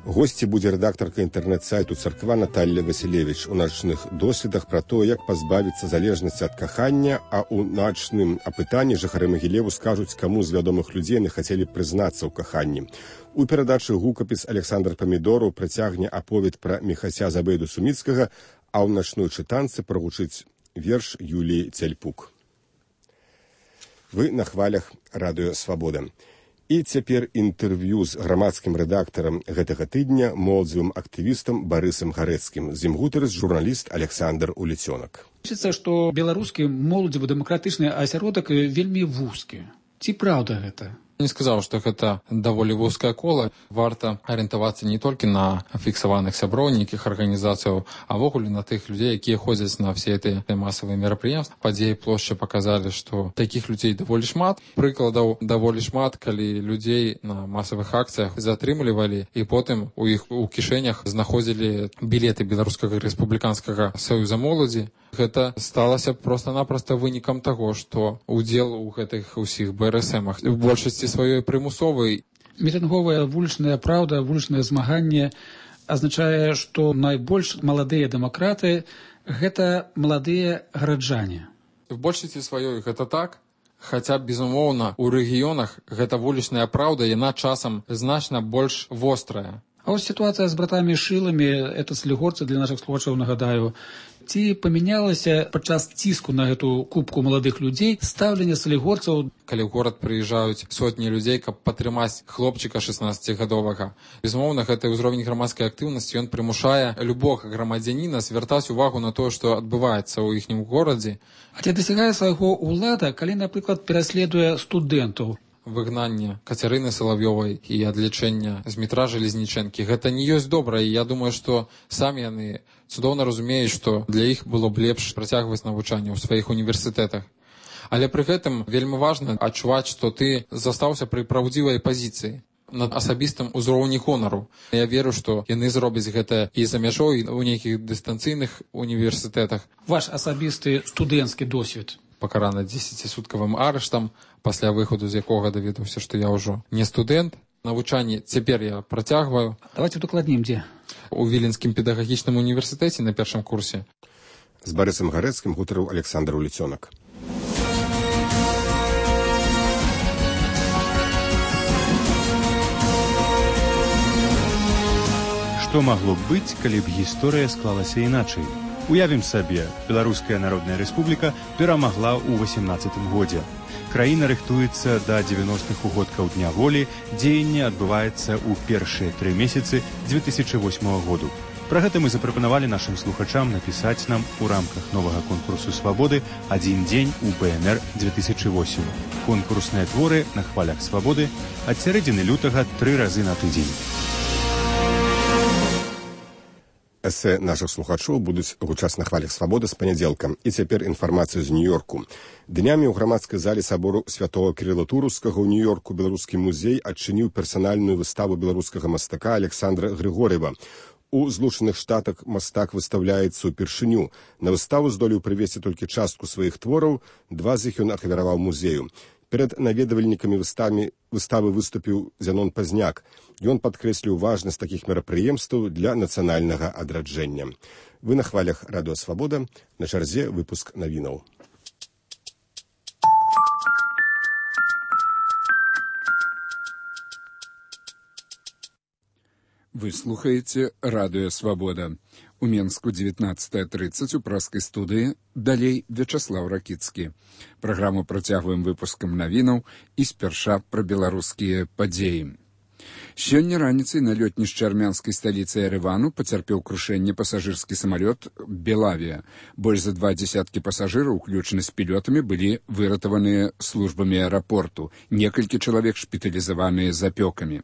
Госці будзе рэдактарка інтэрнэт-сайту «Царква» Наталья Василевич у начных доследах пра то, як пазбавіцца залежнасці ад кахання, а ў начным апытанні жыхары Магілеву скажуць, каму з вядомых людзей не хацелі прызнацца ў каханні. У перадачы гукапіс Александр Памідораў працягне аповед пра Міхася Забейду Суміцкага, а ў начной чытанцы прагучыць верш Юліі Цяльпук. Вы на хвалях радыё «Свабода». І цяпер інтэрв'ю з грамадскім рэдактарам гэтага тыдня, моладзевым актывістам Барысам Гарэцкім. З ім гутарыць журналіст Александр Уліцёнак. Лічыцца, што беларускі моладзевы дэмакратычны асяродак вельмі вузкі. Ці праўда гэта? Не сказаў, што гэта даволі вузкае кола. Варта арыентавацца не толькі на фіксаваных сяброў нейкіх арганізацыяў, а ввогуле на тых людзей, якія ходзяць на все гэтыя масавыя мерапрыемствы. Падзеі плошчы паказалі, што такіх людзей даволі шмат. Прыкладаў даволі шмат, калі людзей на масавых акцыях затрымлівалі і потым у іх у кішэнях знаходзілі білеты беларускага рэспубліканскага саюза моладзі. Гэта сталася проста-напроста вынікам таго, што удзел у гэтых усіх бэ эр эс эмах у большасці сваёй прымусовай. Мітынговая вулічная праўда, вулічнае змаганне азначае, што найбольш маладыя дэмакраты гэта маладыя гараджане. В большасці сваёй гэта так, хаця, безумоўна, у рэгіёнах гэта вулічная праўда, яна часам значна больш вострая. А вось сітуацыя з братамі Шыламі, это слігорцы для нашых слухачоў, нагадаю, ці памянялася падчас ціску на гэту кубку маладых людзей стаўленне салігорцаў? Калі ў горад прыязджаюць сотні людзей, каб падтрымаць хлопчыка шаснаццацігадовага. Безумоўна, гэты ўзровень грамадскай актыўнасці, ён прымушае любога грамадзяніна звяртаць увагу на тое, што адбываецца ў іхнім горадзе. А ці дасягае свайго ўлада, калі, напрыклад, пераследуе студэнтаў? Выгнанне Кацярыны Салавёвай і адлічэння з метра Жалезнічэнкі. Гэта не ёсць добра, і я думаю, што самі яны цудоўна разумеюць, што для іх было б лепш працягваць навучанне ў сваіх універсітэтах. Але пры гэтым вельмі важна адчуваць, што ты застаўся пры праўдзівай пазіцыі на асабістым узроўні гонару. Я веру, што яны зробяць гэта і за мяжой у нейкіх дыстанцыйных універсітэтах. Ваш асабісты студэнцкі досвед? Пакараны дзесяцісуткавым арыштам, пасля выходу з якога даведаўся, што я ўжо не студэнт. Навучанне цяпер я працягваю. Давайте дакладнім, дзе? У Віленскім педагагічным універсітэце на першым курсе. З Барысам Гарэцкім гутарыў Александр Уліцёнак. Што магло б быць, калі б гісторыя склалася іначай? Уявім сабе, Беларуская Народная Рэспубліка перамагла ў васемнаццатым годзе. Краіна рыхтуецца да дзевяностых угодкаў Дня волі, дзеянне адбываецца ў першыя тры месяцы дзве тысячы восьмага году. Пра гэта мы запрапанавалі нашым слухачам напісаць нам у рамках новага конкурсу «Свабоды» «Адзін дзень у бэ эн эр дзве тысячы восем». Конкурсныя творы на хвалях «Свабоды» ад сярэдзіны лютага тры разы на тыдзень. Эсэ нашых слухачоў будуць гучаць на хвалях «Свабоды» з панядзелка. І цяпер інфармацыя з Нью-Йорку. Днямі ў грамадскай зале сабору святого Кірыла Турускага ў Нью-Йорку беларускі музей адчыніў персанальную выставу беларускага мастака Александра Григор'ева. У Злучаных Штатах мастак выстаўляецца ўпершыню. На выставу здолеў прывесці толькі частку сваіх твораў, два з іх ён ахвяраваў музею. Перад наведвальнікамі выставы, выставы выступіў Зянон Пазняк. Ён падкрэсліў важнасць такіх мерапрыемстваў для нацыянальнага адраджэння. Вы на хвалях Радыё Свабода, на чарзе выпуск навінаў. Вы слухаеце Радыё Свабода. У Менску дзевятнаццатая трыццаць у праскай студыі, далей Вячаслаў Ракіцкі. Праграму працягваем выпускам навінаў і спярша пра беларускія падзеі. Сёння раніцай на лётнішчы армянскай сталіцы Еревану пацярпеў крушэнне пасажырскі самалёт «Белавія». Больш за два дзесяткі пасажыраў, уключна з пілётамі, былі выратаваныя службамі аэрапорту. Некалькі чалавек шпіталізаваныя з апёкамі.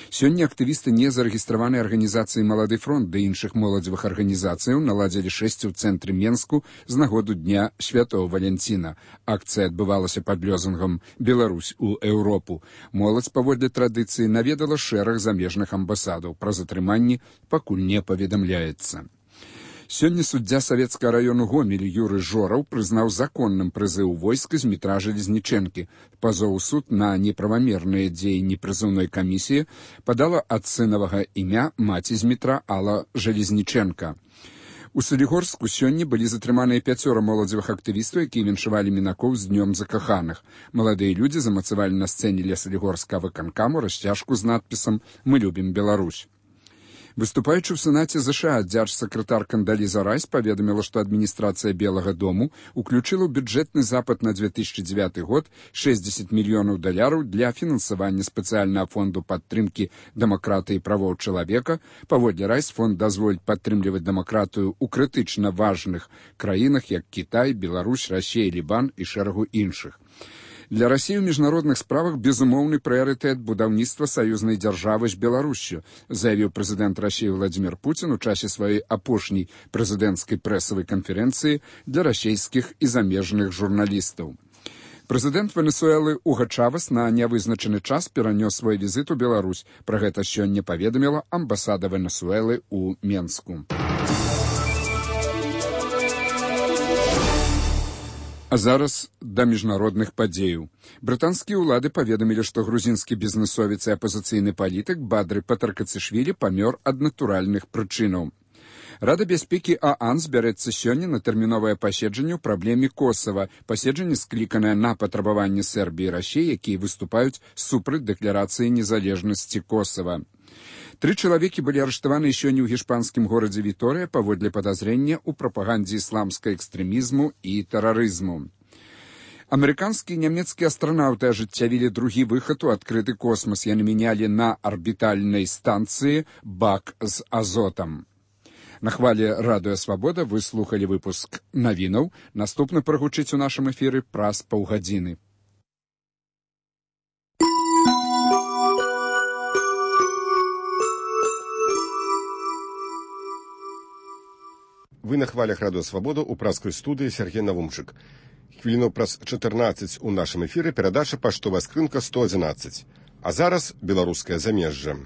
Сёння актывісты незарэгістраванай арганізацыі «Малады фронт» ды іншых моладзевых арганізацыяў наладзілі шэсці ў цэнтры Менску з нагоду Дня Святого Валянціна. Акцыя адбывалася пад лозунгам «Беларусь у Еўропу». Моладзь паводле традыцыі наведала шэраг замежных амбасадаў. Пра затрыманні пакуль не паведамляецца. Сёння суддзя савецкага раёну Гомель Юрый Жораў прызнаў законным прызыў войска з метра Железнічэнкі. Пазоў у суд на неправамерныя дзеянні прызыўной камісіі падала ад сынавага імя маці з метра Алла Железнічэнка. У Салігорску сёння былі затрыманыя пяцёра моладзевых актывістаў, якія віншавалі мінакоў з днём закаханых. Маладыя людзі замацавалі на сцэне ля Салігорскага выканкаму расцяжку з надпісам «Мы любім Беларусь». Выступаючы ў Сенаце ЗША, дзярж-сакратар Кандаліза Райс паведаміла, што адміністрацыя Белага дому уключыла ў бюджэтны запад на две тысячи девятый год шэсцьдзесят мільёнаў даляраў для фінансавання спецыяльнага фонду падтрымкі дэмакратыі і правоў чалавека. Паводле Райс, фонд дазволіць падтрымліваць дэмакратыю ў крытычна важных краінах, як Кітай, Беларусь, Расія, Лібан і шэрагу іншых. Для Расіі ў міжнародных справах безумоўны прыярытэт будаўніцтва саюзнай дзяржавы з Беларуссю, заявіў прэзідэнт Расіі Владзімір Пуцін у часе сваёй апошняй прэзідэнцкай прэсавай канферэнцыі для расійскіх і замежных журналістаў. Прэзідэнт Венесуэлы Уга Чавес на нявызначаны час перанёс свой візіт у Беларусь. Пра гэта сёння паведаміла амбасада Венесуэлы ў Менску. А зараз да міжнародных падзеяў. Брытанскія ўлады паведамілі, што грузінскі бізнесовец і апазіцыйны палітык Бадры Патаркацішвілі памёр ад натуральных прычынаў. Рада бяспекі ААН збярэцца сёння на тэрміновае паседжанне ў праблеме Косава. Паседжанне скліканае на патрабаванні Сербіі і Расіі, якія выступаюць супраць дэкларацыі незалежнасці Косава. Тры чалавекі былі арыштаваны сёння ў гішпанскім горадзе Віторыя паводле падазрення ў прапагандзе ісламскага экстрэмізму і тэрарызму. Амерыканскія і нямецкія астранаўты ажыццявілі другі выхад у адкрыты космас. Яны мянялі на арбітальнай станцыі бак з азотам. На хвале Радыё Свабода вы слухалі выпуск навінаў. Наступны прагучыць у нашым эфіры праз паўгадзіны. Вы на хвалях Радыё Свабода ў праскай студыі Сергей Навумчык. Хвіліну праз чатырнаццаць у нашым эфіры перадача «Паштовая скрынка сто адзінаццаць». А зараз беларускае замежжа.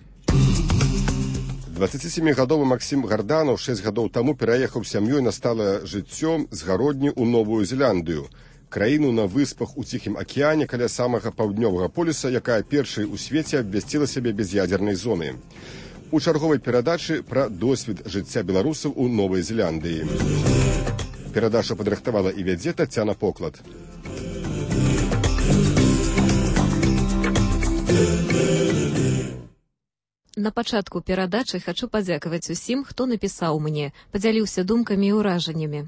дваццацісямігадовы Максім Гарданаў шэсць гадоў таму пераехаў сям'ёй на сталае жыццё з гародні ў Новую Зеландыю, краіну на выспах у Ціхім акіяне каля самага паўднёвага полюса, якая першай у свеце абвясціла сябе без'ядзернай зонай. У чарговай перадачы пра досвед жыцця беларусаў у Новай Зеландыі. Перадачу падрыхтавала і вядзе Тацяна Поклад. На пачатку перадачы хачу падзякаваць усім, хто напісаў мне, падзяліўся думкамі і ўражаннямі.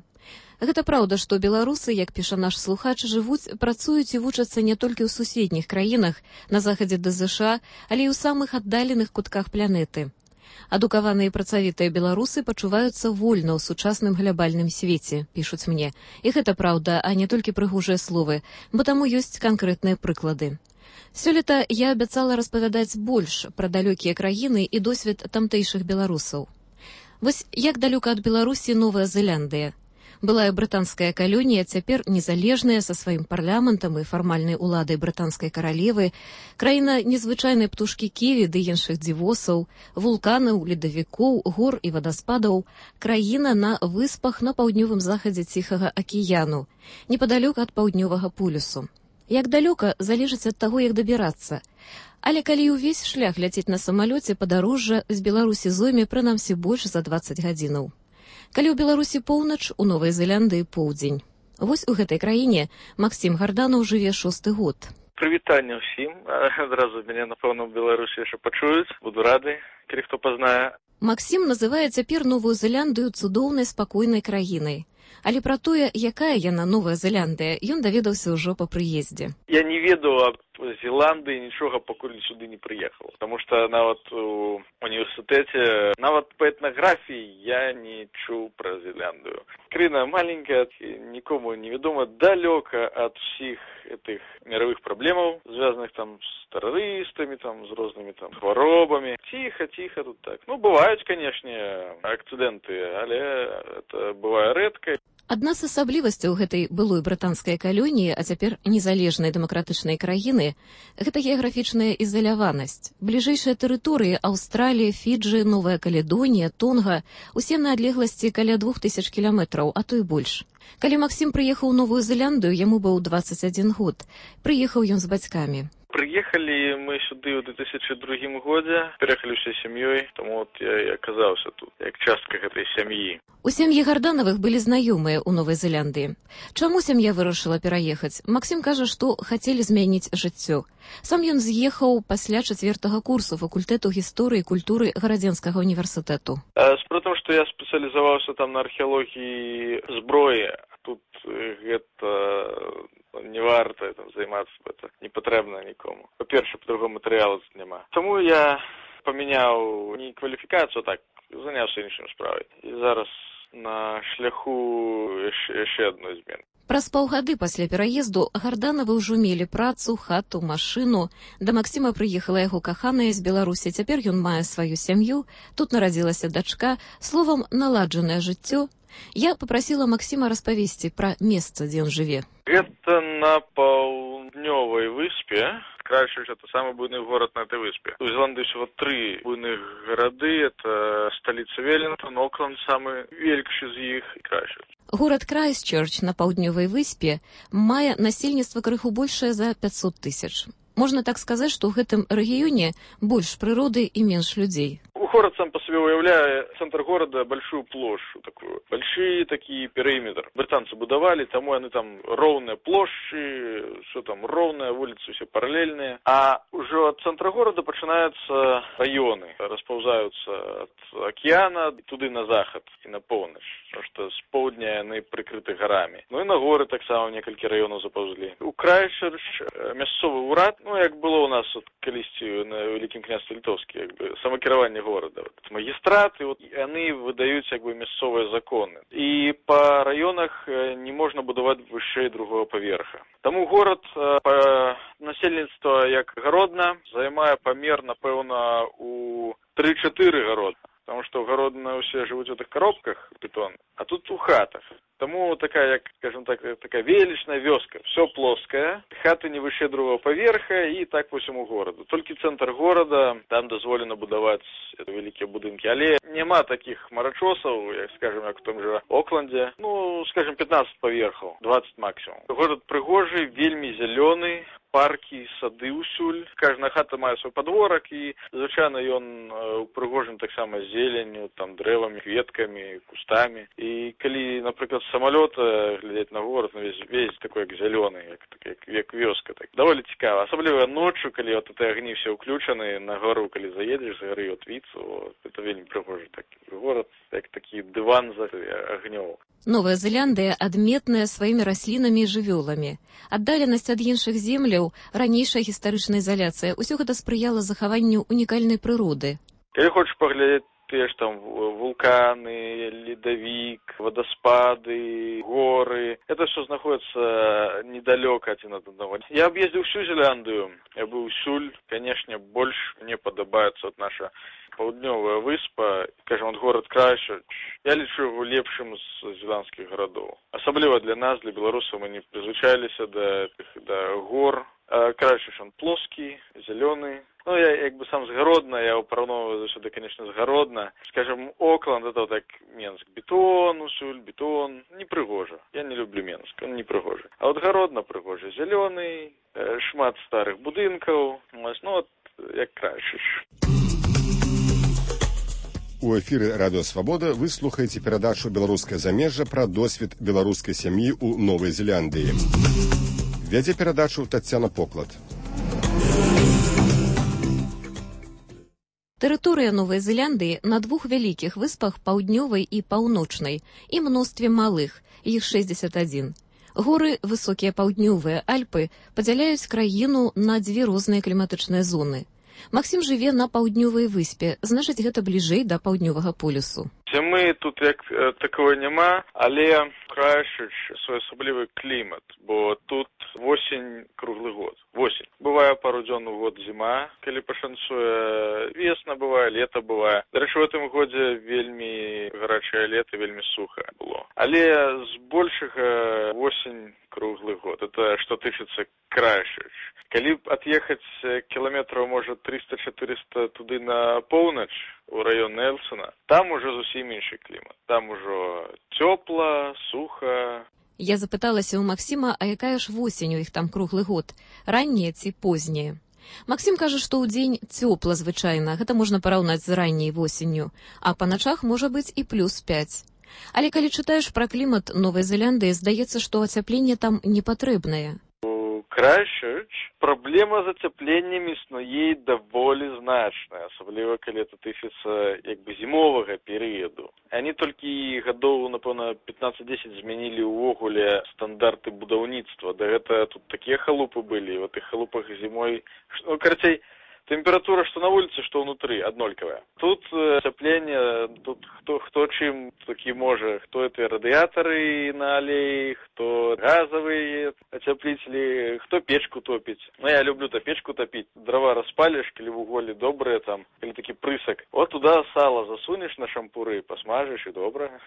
Гэта праўда, што беларусы, як піша наш слухач, жывуць, працуюць і вучацца не толькі ў суседніх краінах, на захадзе да ЗША, але і ў самых аддаленых кутках планеты. Адукаваныя і працавітыя беларусы пачуваюцца вольна ў сучасным глябальным свеце, пішуць мне. І гэта праўда, а не толькі прыгожыя словы, бо таму ёсць канкрэтныя прыклады. Сёлета я абяцала распавядаць больш пра далёкія краіны і досвед тамтэйшых беларусаў. Вось як далёка ад Беларусі Новая Зеландыя. Былая брытанская калонія цяпер незалежная са сваім парламентам і фармальнай уладай брытанскай каралевы, краіна незвычайнай птушкі ківі ды іншых дзівосаў, вулканаў, ледавікоў, гор і вадаспадаў, краіна на выспах на паўднёвым захадзе Ціхага акіяну, непадалёк ад паўднёвага полюсу. Як далёка, залежыць ад таго, як дабірацца. Але калі ўвесь шлях ляціць на самалёце, падарожжа з Беларусі зойме прынамсі больш за дваццаць гадзінаў. Калі ў Беларусі поўнач, у Новай Зеландыі поўдзень. Вось у гэтай краіне Максім Гарданаў жыве шосты год. Прывітанне ўсім. Адразу мяне, напэўна, ў Беларусі яшчэ пачуюць. Буду рады, калі хто пазнае. Максім называе цяпер Новую Зеландыю цудоўнай спакойнай краінай. Але пра тое, якая яна Новая Зеландыя, ён даведаўся ўжо па прыездзе. Я не ведаў аб Зеландыі нічога, пакуль сюды не прыехаў. Таму што нават у універсітэце, нават па этнаграфіі я не чуў пра Зеландыю. Краіна маленькая, нікому невядома, далёка ад усіх этих мировых праблемаў, звязаных там з тэрарыстамі, там, з рознымі там хваробамі. Ціха, ціха тут так. Ну, бываюць, канешне, акцыдэнты, але это бывае рэдка. Адна з асаблівасцяў гэтай былой брытанскай калоніі, а цяпер незалежнай дэмакратычнай краіны, гэта геаграфічная ізаляванасць. Бліжэйшыя тэрыторыі Аўстралія, Фіджы, Новая Каледонія, Тонга усе на адлегласці каля двух тысяч кіламетраў, а то і больш. Калі Максім прыехаў у Новую Зеландыю, яму быў дваццаць адзін год. Прыехаў ён з бацькамі. Прыехалі мы сюды ў две тысячы другім годзе, пераехалі ўсёй сям'ёй, таму от я і аказаўся тут, як частка гэтай сям'і. У сям'і Гарданавых былі знаёмыя ў Новай Зеландыі. Чаму сям'я вырашыла пераехаць? Максім кажа, што хацелі змяніць жыццё. Сам ён з'ехаў пасля чацвёртага курсу факультэту гісторыі і культуры Гарадзенскага універсітэту. Справа, што я спецыялізаваўся там на археалогіі зброі, а тут гэта не варта там займацца, это не патрэбна нікому. Па-перше, па-другому матэрыялу тут няма. Таму я памяняў не кваліфікацыю, так, заняўся іншым справай. І зараз на шляху яшчэ адной змены. Праз паўгады пасля пераезду Гарданавы ўжо мелі працу, хату, машыну. Да Максіма прыехала яго каханая з Беларусі. Цяпер ён мае сваю сям'ю. Тут нарадзілася дачка. Словам, наладжанае жыццё. Я папрасіла Максіма распавесці пра месца, дзе ён жыве. Гэта на паўднёвай выспе. Крайшич — это самый буйный город на этой выспе. У Зеландии всего три буйных городы. Это столица Веллингтон, Окленд самый великий из них и Крайшич. Горад Крайстчерч на паўднёвай выспе мае насельніцтва крыху большае за пятьсот тысяч. Можна так сказаць, што ў гэтым рэгіёне больш прыроды і менш людзей. Город сам по себе уявляет центр города большую площадь такую, большие такие периметр. Британцы будовали, тому они там ровные площади, все там ровные, улицы все параллельные. А уже от центра города начинаются районы, расползаются от океана туда на заход и на полночь, потому что с полдня они прикрыты горами. Ну и на горы так само несколько районов заползли. У Крайстчерч мясцовый урад, ну як было у нас от колісті на Великім княстве Литовске, як бы самокіравання города. Вот, магистраты, вот, они выдают как бы мясцовые законы. И по районах не можно будовать выше другого поверха. Тому город по насельніцтва як Гародна займае памер, напэўна, у три-чатыры Гародна. Потому что Гародна все живут в этих коробках бетон, а тут у хатах. Тому такая, як, скажем так, такая величная вёска. Все плоское, хаты не выше другого поверха и так по всему городу. Только центр города, там дозволено будовать великие будинки. Але нема таких марачосов, як, скажем, як в том же Окленде. Ну, скажем, пятнадцать поверхов, двадцать максимум. Город пригожий, вельми зеленый. Парки, сады усюль. Кожна хата мае свой подворок, і, звычайна, ён упрыгожен таксама зеленню, там, дрэвамі, кветкамі, кустамі. І калі, напрыклад, з самалёта глядзець на город, ну, весь, весь такой, як зялёны, як, як, як вёска. Так. Даволі цікава. Асабліва ноччу, калі вот эти агні все ўключаны, на гору, калі заедзеш, з гары от віцу, вот, это вельмі прыгожы такі город, як такі дыван за агнёў. Новая Зеландыя адметная сваімі раслінамі і жывёламі. Аддаленасць ад іншых земляў, ранейшая гістарычная ізаляцыя, усё гэта спрыяла захаванню унікальнай прыроды. Калі хочаш паглядзець тыя ж там вулканы, ледавік, вадаспады, горы. Это все знаходится недалёка адзін ад аднаго. Я аб'ездзіў всю Зеландыю. Я быў усюль. Конечно, больш мне падабаецца от наша паўднёвая выспа, скажем, от город Крайстчерч. Я лічу его лепшым з зеландскіх гарадоў. Асабліва для нас, для беларусаў, мы не прызвычаіліся да, да гор. Крайстчерч он плоскі, зялёны. Ну, я як бы сам з Гародна, я его параўноўваю заўсёды, конечно, з Гародна. Скажем, Окленд, это вот так Менск. Бетон, усюль, бетон. Не прыгожа. Я не люблю Менск, он не прыгожа. А вот Гародна прыгожа. Зялёны, шмат старых будынкаў. Ну, вот як Крайстчерч. У эфіры Радыё Свабода вы слухаеце перадачу «Беларускае замежжа» пра досвед беларускай сям'і ў Новай Зеландыі. Вядзе перадачу Таццяна Поклад. Тэрыторыя Новай Зеландыі на двух вялікіх выспах паўднёвай і паўночнай і мностве малых, іх шэсцьдзесят адзін. Горы, высокія паўднёвыя Альпы падзяляюць краіну на дзве розныя кліматычныя зоны. Максім жыве на паўднёвай выспе, значыць, гэта бліжэй да паўднёвага полюсу. Мы тут як такого няма, але Крайстчерч своеасаблівы клімат, бо тут восень круглы год. Восень. Бывае пару дзён у год зіма, калі пашанцуе, весна бывае, лета бывае. Дарэчы, в гэтым годзе вельмі гарачае лета, вельмі суха было. Але збольшага восень круглы год. Это што тычыцца Крайстчерч. Калі ад'ехаць кіламетраў, можа, триста-четыреста туды на поўнач, у раён Нельсона, там уже зусім іншы клімат. Там ужо цёпла, суха. Я запыталася ў Максіма, а якая ж восень у іх там круглы год? Ранняя ці позняя? Максім кажа, што ў дзень цёпла звычайна, гэта можна параўнаць з ранняй восенню, а па начах можа быць і плюс пяць. Але калі чытаеш пра клімат Новай Зеландыі, здаецца, што ацяпленне там не патрэбнае. Крайстчерч праблема з ацяпленнем існуе даволі значная, асабліва калі это тычыцца як бы зімовага перыяду. Они толькі гадоў, напэўна, пятнаццаць-дзесяць змянілі ўвогуле стандарты будаўніцтва. Да гэта тут такія халупы былі, в этих халупах зімой, ну, карацей, температура, что на улице, что внутри, однолькавая. Тут ацяпленне, тут хто, хто чым такі можа, хто это радыятары на алеі, хто газовые ацяпліцелі, хто печку топіць. Ну, я люблю то печку топіць. Дрова распалишь, калі вуголі добрые там, калі такі прысак. Вот туда сало засунешь на шампуры, посмажешь и добра.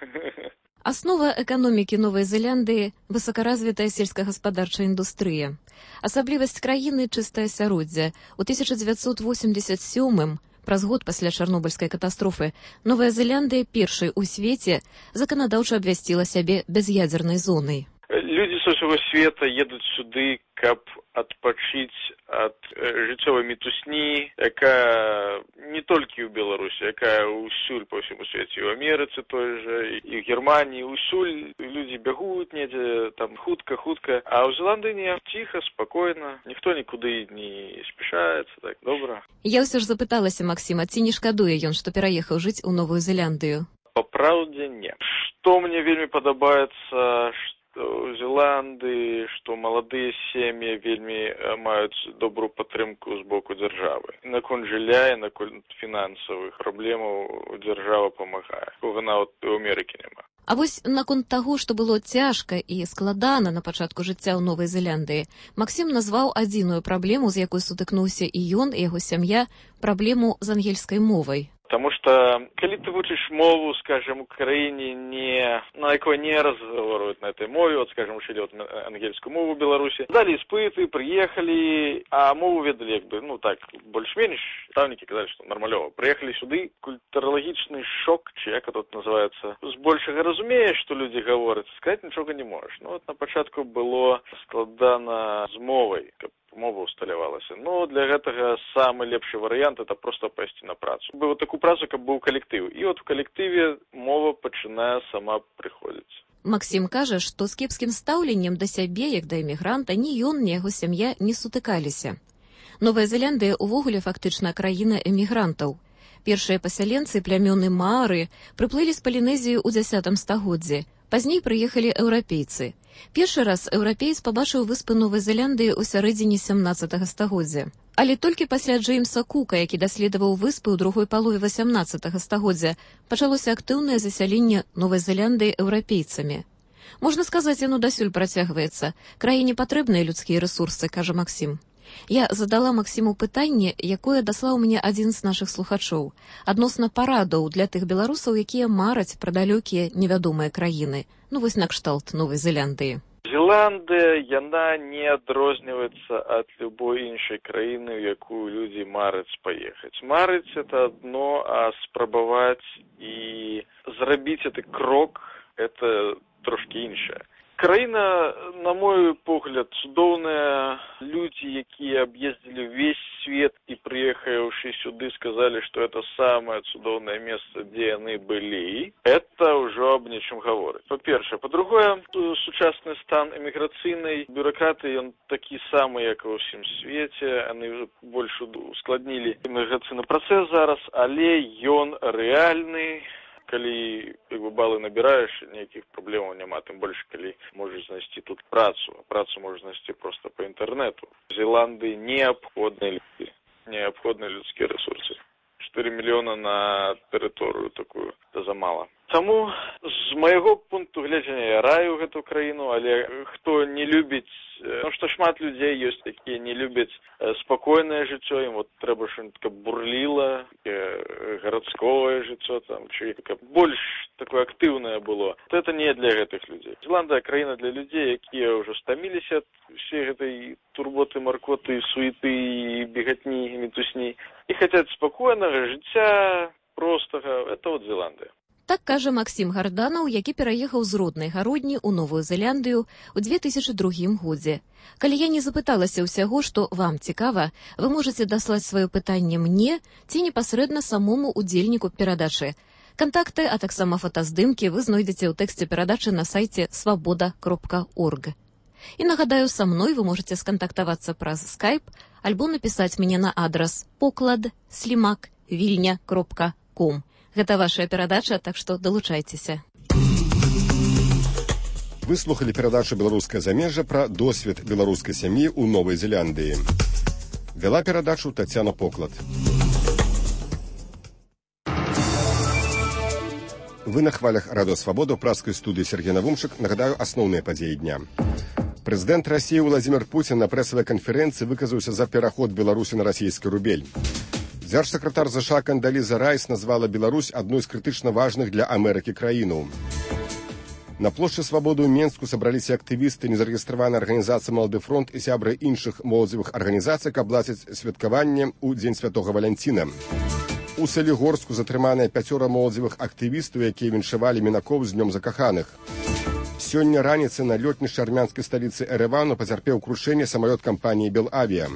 Аснова эканомікі Новай Зеландыі – высокаразвітая сельскагаспадарчая індустрыя. Асаблівасць краіны – чыстае асяроддзе. У тысяча дзевяцьсот восемьдесят сёмым, праз год пасля чарнобыльскай катастрофы, Новая Зеландыя першай у свеце заканадаўча абвясціла сябе бяз'ядзернай зонай. Людзі з усяго света едуць сюды, каб адпачыць ад жыццёвай мітусні, якая не толькі ў Беларусі, якая ўсюль па ўсяму свеце, і ў Амерыцы той жа, і ў Германіі, ўсюль людзі бягуць недзе, там хутка-хутка, а ў Зеландыі не, ціха, спакойна, ніхто нікуды не спяшаецца, так, добра. Я ўсё ж запыталася Максіма, ці не шкадуе ён, што пераехаў жыць у Новую Зеландыю? Па праўдзе, не. Што мне вельмі падабаецца, у Зеландыі, што маладыя сем'і вельмі маюць добрую падтрымку з боку дзяржавы. Наконт жылля і наконт фінансавых праблемаў дзяржава памагае. Кога нават у Амерыкі няма. А вось наконт таго, што было цяжка і складана на пачатку жыцця ў Новай Зеландыі, Максім назваў адзіную праблему, з якой сутыкнуўся і ён, і яго сям'я, праблему з ангельскай мовай. Потому что, калі ты вучыш мову, скажем, у краіне, не, на якой не разговаривают на этой мове, вот, скажем, учили вот ангельскую мову в Беларуси, дали испыты, приехали, а мову ведали, как бы, ну, так, больш-менш, ставники казали, что нормалёво. Приехали сюды, культурологичный шок, чи як это называется, збольшага разумеешь, что люди говорят, сказать ничего не можешь. Ну, вот на початку было складана з мовой, каб мова усталявалася. Ну, для гэтага самы лепшы варыянт это просто пайсці на працу. Быў такую працу, каб быў калектыў. І от у калектыве мова пачынае сама прыходзіць. Максім кажа, што з кепскім стаўленнем да сябе, як да эмігранта, ні ён, ні яго сям'я не сутыкаліся. Новая Зеландыя ўвогуле фактычна краіна эмігрантаў. Першыя пасяленцы, плямёны маары, прыплылі з Палінезіі ў дзясятым стагоддзі. Пазней прыехалі еўрапейцы. Першы раз еўрапеец пабачыў выспы Новай Зеландыі ў сярэдзіне сямнаццатага стагоддзя. Але толькі пасля Джеймса Кука, які даследаваў выспы ў другой палове васямнаццатага стагоддзя, пачалося актыўнае засяленне Новай Зеландыі еўрапейцамі. Можна сказаць, яно дасюль працягваецца. Краіне патрэбныя людскія рэсурсы, кажа Максім. Я задала Максіму пытанне, якое даслаў мне адзін з нашых слухачоў, адносна парадаў для тых беларусаў, якія мараць пра далёкія невядомыя краіны. Ну вось накшталт Новай Зеландыі. Зеландыя, яна не адрозніваецца ад любой іншай краіны, у якую людзі мараць паехаць. Марыць – это адно, а спрабаваць і зрабіць гэты крок – это трошкі іншае. Краіна, на мой погляд, цудоўная. Людзі, якія аб'ездзілі ўвесь свет і прыехаўшы сюды, сказалі, што это самае цудоўнае месца, дзе яны былі. Это ўжо аб нечым гаворыць. Па-першае. Па-другое, сучасны стан эміграцыйнай бюракратыі, ён такі самы, як і ва ўсім свеце. Яны больш ускладнілі эміграцыйны працэс зараз, але ён рэальны. Калі як бы, балы набіраеш, ніякіх праблемаў няма, тым больш, калі можаш знайсці тут працу. Працу можаш знайсці проста па інтэрнэту. В Зеландыі неабходныя людзі, неабходныя людскія рэсурсы. чатыры мільёна на тэрыторыю такую, это замала. Таму, з майго пункту гледжання, я раю гэту краіну, але хто не любіць, ну што шмат людзей ёсць, якія не любяць спакойнае жыццё, ім вот трэба што-нибудь каб бурліла, гарадское жыццё, там, чи каб больш такое актыўнае было. То это не для гэтых людзей. Зеландыя краіна для людзей, якія ўжо стаміліся ад усей гэтай турботы, маркоты, суеты, бегатні, метусні, і хацяць спакойнага жыцця, простага. Это вот Зеландыя. Так кажа Максім Гарданаў, які пераехаў з роднай гародні ў Новую Зеландыю ў две тысячы другім годзе. Калі я не запыталася ўсяго, што вам цікава, вы можаце даслаць сваё пытанне мне ці непасрэдна самому удзельніку перадачы. Кантакты, а таксама фотаздымкі вы знойдзеце ў тэксце перадачы на сайце свабода кропка орг. І нагадаю, са мной вы можаце скантактавацца праз скайп альбо напісаць мне на адрас поклад слімак вільня кропка ком. Гэта ваша перадача, так што далучайцеся. Выслухалі перадачу «Беларускае замежжа» пра досвед беларускай сям'і ў Новай Зеландыі. Вяла перадачу Тацяна Поклад. Вы на хвалях Радыё Свабода ў праскай студыі Сергей Навумчык. Нагадаю, асноўныя падзеі дня. Прэзідэнт Расіі Владзімір Пуцін на прэсавай канферэнцыі выказаўся за пераход Беларусі на расійскі рубель. Дзяржсакратар ЗША Кандаліза Райс назвала Беларусь адной з крытычна важных для Амерыкі краіну. На плошчы Свабоды ў Менску сабраліся актывісты незарэгістраванай арганізацыі «Малады фронт» і сябры іншых моладзевых арганізацый, каб ладзіць святкаванне ў Дзень Святога Валянціна. У Салігорску затрыманыя пяцёра моладзевых актывістаў, якія віншавалі мінакоў з днём закаханых. Сёння раніцай на лётнішчы армянскай сталіцы Эрэвану пацярпеў крушэнне самалёт кампаніі «Белавіа».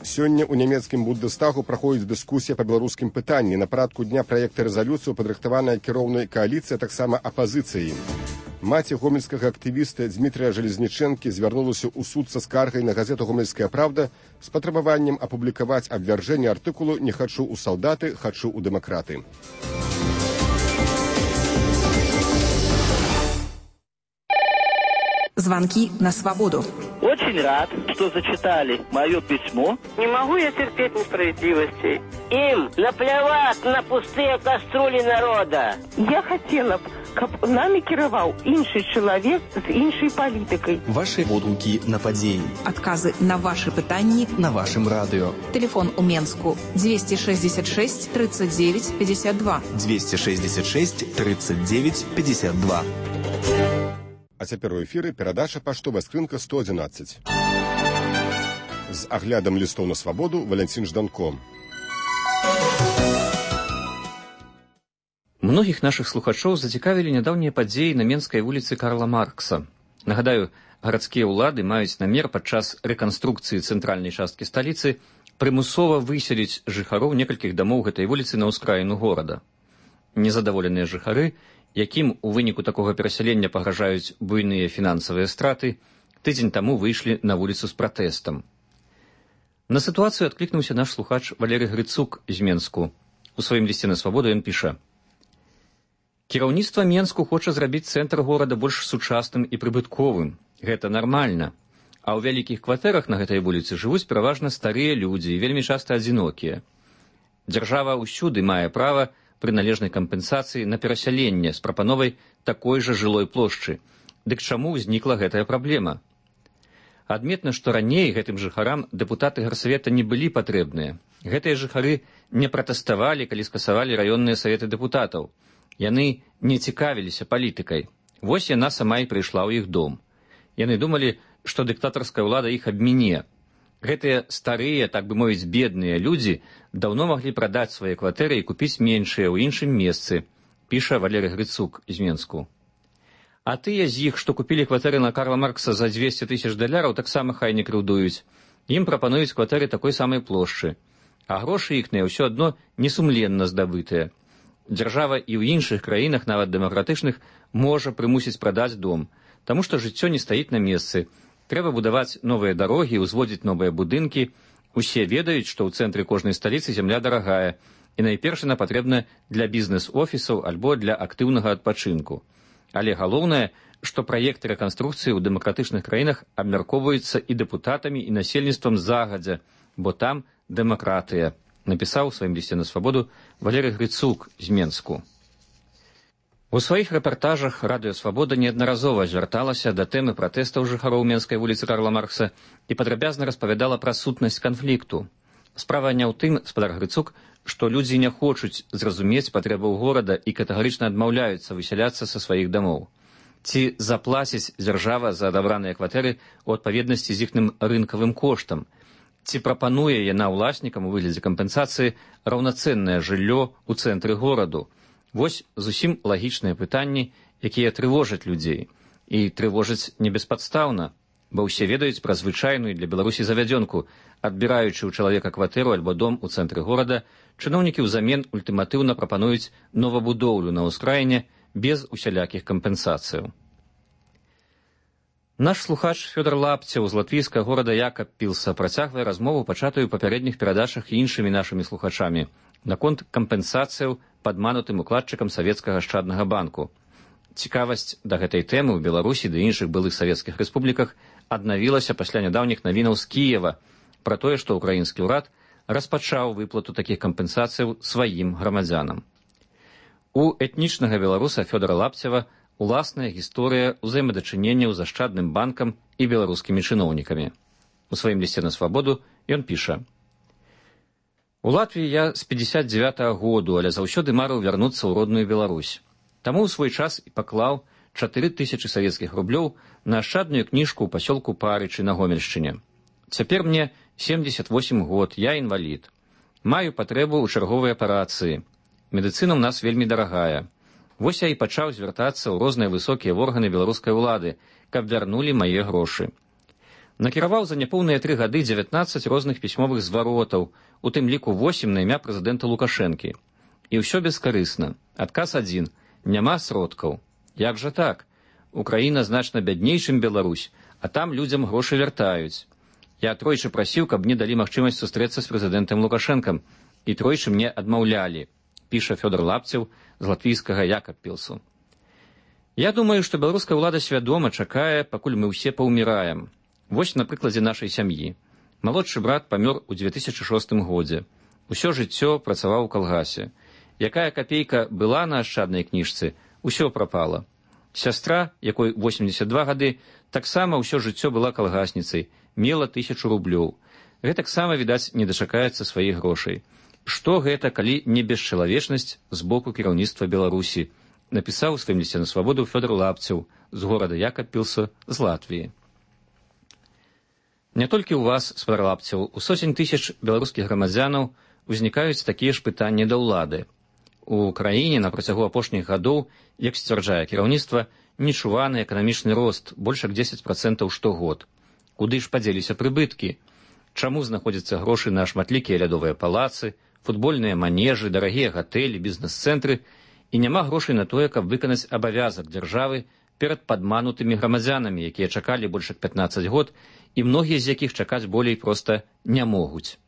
Сёння ў нямецкім Бундестагу праходзіць дыскусія па беларускім пытанні. На парадку дня праекта рэзалюцыю падрыхтаваная кіроўнай кааліцыяй, таксама апазіцыяй. Маці гомельскага актывіста Дзмітрыя Жалезнічэнкі звярнулася ў суд са скаргай на газету «Гомельская правда» з патрабаваннем апублікаваць абвяржэнне артыкулу «Не хачу ў салдаты, хачу ў дэмакраты». Звонки на свободу. Очень рад, что зачитали мое письмо. Не могу я терпеть несправедливости. Им наплевать на пустые кастрюли народа. Я хотела б, каб нами кіраваў іншы чалавек з іншай палітыкай. Ваши водгукі на падзеі. Адказы на ваши пытанні на вашым радыё. Телефон у Менску двести шестьдесят шесть тридцать девять пятьдесят два. двести шестьдесят шесть тридцать девять пятьдесят два. А цяпер у эфіры перадача «Паштовая скрынка сто адзінаццаць». З аглядам лістоў на свабоду Валянцін Жданко. Многіх нашых слухачоў зацікавілі нядаўнія падзеі на Менскай вуліцы Карла Маркса. Нагадаю, гарадскія ўлады маюць намер падчас рэканструкцыі цэнтральнай часткі сталіцы прымусова выселіць жыхароў некалькіх дамоў гэтай вуліцы на ўскраіну горада. Незадаволеныя жыхары, якім у выніку такога перасялення пагражаюць буйныя фінансавыя страты, тыдзень таму выйшлі на вуліцу з пратэстам. На сітуацыю адклікнуўся наш слухач Валерый Грыцук з Менску. У сваім лісце на свабоду ён піша: Кіраўніцтва Менску хоча зрабіць цэнтр горада больш сучасным і прыбытковым. Гэта нармальна. А ў вялікіх кватэрах на гэтай вуліцы жывуць пераважна старыя людзі, вельмі часта адзінокія. Дзяржава ўсюды мае права пры належнай кампенсацыі на перасяленне з прапановай такой жа жылой плошчы. Дык чаму ўзнікла гэтая праблема? Адметна, што раней гэтым жыхарам дэпутаты гарсавета не былі патрэбныя. Гэтыя жыхары не пратэставалі, калі скасавалі раённыя саветы дэпутатаў. Яны не цікавіліся палітыкай. Вось яна сама і прыйшла ў іх дом. Яны думалі, што дыктатарская ўлада іх абміне. Гэтыя старыя, так бы мовіць, бедныя людзі даўно маглі прадаць свае кватэры і купіць меншыя ў іншым месцы, піша Валерый Грыцук з Менску. А тыя з іх, што купілі кватэры на Карла Маркса за дзвесце тысяч даляраў, таксама хай не крыўдуюць. Ім прапануюць кватэры такой самай плошчы. А грошы іхныя ўсё адно несумленна здабытыя. Дзяржава і ў іншых краінах, нават дэмакратычных, можа прымусіць прадаць дом, таму што жыццё не стаіць на месцы. Трэба будаваць новыя дарогі, узводзіць новыя будынкі. Усе ведаюць, што ў цэнтры кожнай сталіцы зямля дарагая, і найперш яна патрэбна для бізнес-офісаў альбо для актыўнага адпачынку. Але галоўнае, што праекты рэканструкцыі ў дэмакратычных краінах абмяркоўваюцца і дэпутатамі, і насельніцтвам загадзя, бо там дэмакратыя, напісаў у сваім лісце на свабоду Валерый Грыцук з Менску. У сваіх рэпартажах Радыё Свабода неаднаразова звярталася да тэмы пратэстаў жыхароў Менскай вуліцы Карла Маркса і падрабязна распавядала пра сутнасць канфлікту. Справа не ў тым, спадар Грыцук, што людзі не хочуць зразумець патрэбаў горада і катэгарычна адмаўляюцца высяляцца са сваіх дамоў. Ці заплаціць дзяржава за адабраныя кватэры ў адпаведнасці з іхным рынкавым коштам? Ці прапануе яна ўласнікам у выглядзе кампенсацыі раўнацэннае жыллё ў цэнтры гораду? Вось зусім лагічныя пытанні, якія трывожаць людзей. І трывожаць небеспадстаўна, бо ўсе ведаюць пра звычайную для Беларусі завядзёнку. Адбіраючы ў чалавека кватэру альбо дом у цэнтры горада, чыноўнікі ўзамен ультыматыўна прапануюць новабудоўлю на ўскраіне без усялякіх кампенсацыяў. Наш слухач Фёдор Лапцеў з латвійскага горада Якабпілса працягвае размову, пачатую ў папярэдніх перадачах і іншымі нашымі слухачамі, наконт кампенсацыяў падманутым укладчыкам савецкага ашчаднага банку. Цікавасць да гэтай тэмы ў Беларусі ды іншых былых савецкіх рэспубліках аднавілася пасля нядаўніх навінаў з Кіева пра тое, што ўкраінскі ўрад распачаў выплату такіх кампенсацыяў сваім грамадзянам. У этнічнага беларуса Фёдора Лапцева уласная гісторыя ўзаемадачынення з ашчадным банкам і беларускімі чыноўнікамі. У сваім лісце на свабоду ён піша: «У Латвіі я з пятьдесят девятого году, але заўсёды марыў вярнуцца ў родную Беларусь. Таму ў свой час і паклаў чатыры тысячы савецкіх рублёў на ашчадную кніжку ў пасёлку Парычы на Гомельшчыне. Цяпер мне семьдесят восемь год, я інвалід. Маю патрэбу ў чарговай аперацыі. Медыцына ў нас вельмі дарагая. Вось я і пачаў звяртацца ў розныя высокія органы беларускай улады, каб вярнулі мае грошы. Накіраваў за няпоўныя тры гады дзевятнаццаць розных пісьмовых зваротаў, у тым ліку восем на імя прэзідэнта Лукашэнкі. І ўсё бескарысна. Адказ адзін. Няма сродкаў. Як жа так? Украіна значна бядней, чым Беларусь, а там людзям грошы вяртаюць. Я тройчы прасіў, каб мне далі магчымасць сустрэцца з прэзідэнтам Лукашэнкам, і тройчы мне адмаўлялі, піша Фёдор Лапцеў з латвійскага Якабпілсу. Я думаю, што беларуская ўлада свядома чакае, пакуль мы ўсе паўміраем. Вось на прыкладзе нашай сям'і. Малодшы брат памёр у дзве тысячы шостым годзе. Усё жыццё працаваў у калгасе. Якая капейка была на ашчаднай кніжцы, усё прапала. Сястра, якой восемьдесят два гады, таксама ўсё жыццё была калгасніцай, мела тысячу рублёў. Гэтаксама, відаць, не дачакаецца сваіх грошай. Што гэта, калі не бесчалавечнасць з боку кіраўніцтва Беларусі, напісаў у сваім лісце на свабоду Фёдор Лапцеў з горада Якабпілса з Латвіі. Не толькі ў вас, спадар Лапцеў, у сотень тысяч беларускіх грамадзянаў узнікаюць такія ж пытанні да ўлады. У краіне на працягу апошніх гадоў, як сцвярджае кіраўніцтва, нечуваны эканамічны рост, больш як дзесяць працэнтаў штогод. Куды ж падзеліся прыбыткі? Чаму знаходзяцца грошы на шматлікія лядовыя палацы, футбольныя манежы, дарагія гатэлі, бізнес-цэнтры, і няма грошай на тое, каб выканаць абавязак дзяржавы перад падманутымі грамадзянамі, якія чакалі больш як пятнаццаць год, і многія з якіх чакаць болей проста не могуць.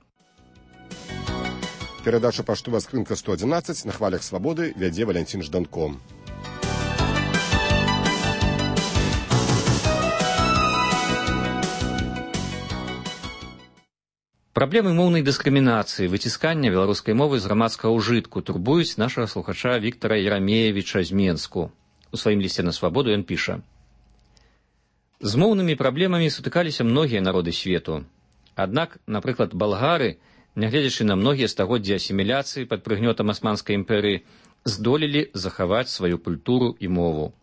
Перадача «Паштовая скрынка сто адзінаццаць» на хвалях свабоды вядзе Валянцін Жданко. Праблемы моўнай дыскрымінацыі, выціскання беларускай мовы з грамадскага ўжытку турбуюць нашага слухача Віктара Ярамеевіча з Менску. У сваім лісце на свабоду ён піша: «З моўнымі праблемамі сутыкаліся многія народы свету. Аднак, напрыклад, болгары, нягледзячы на многія стагоддзі асіміляцыі пад прыгнётам Асманскай імперыі, здолелі захаваць сваю культуру і мову.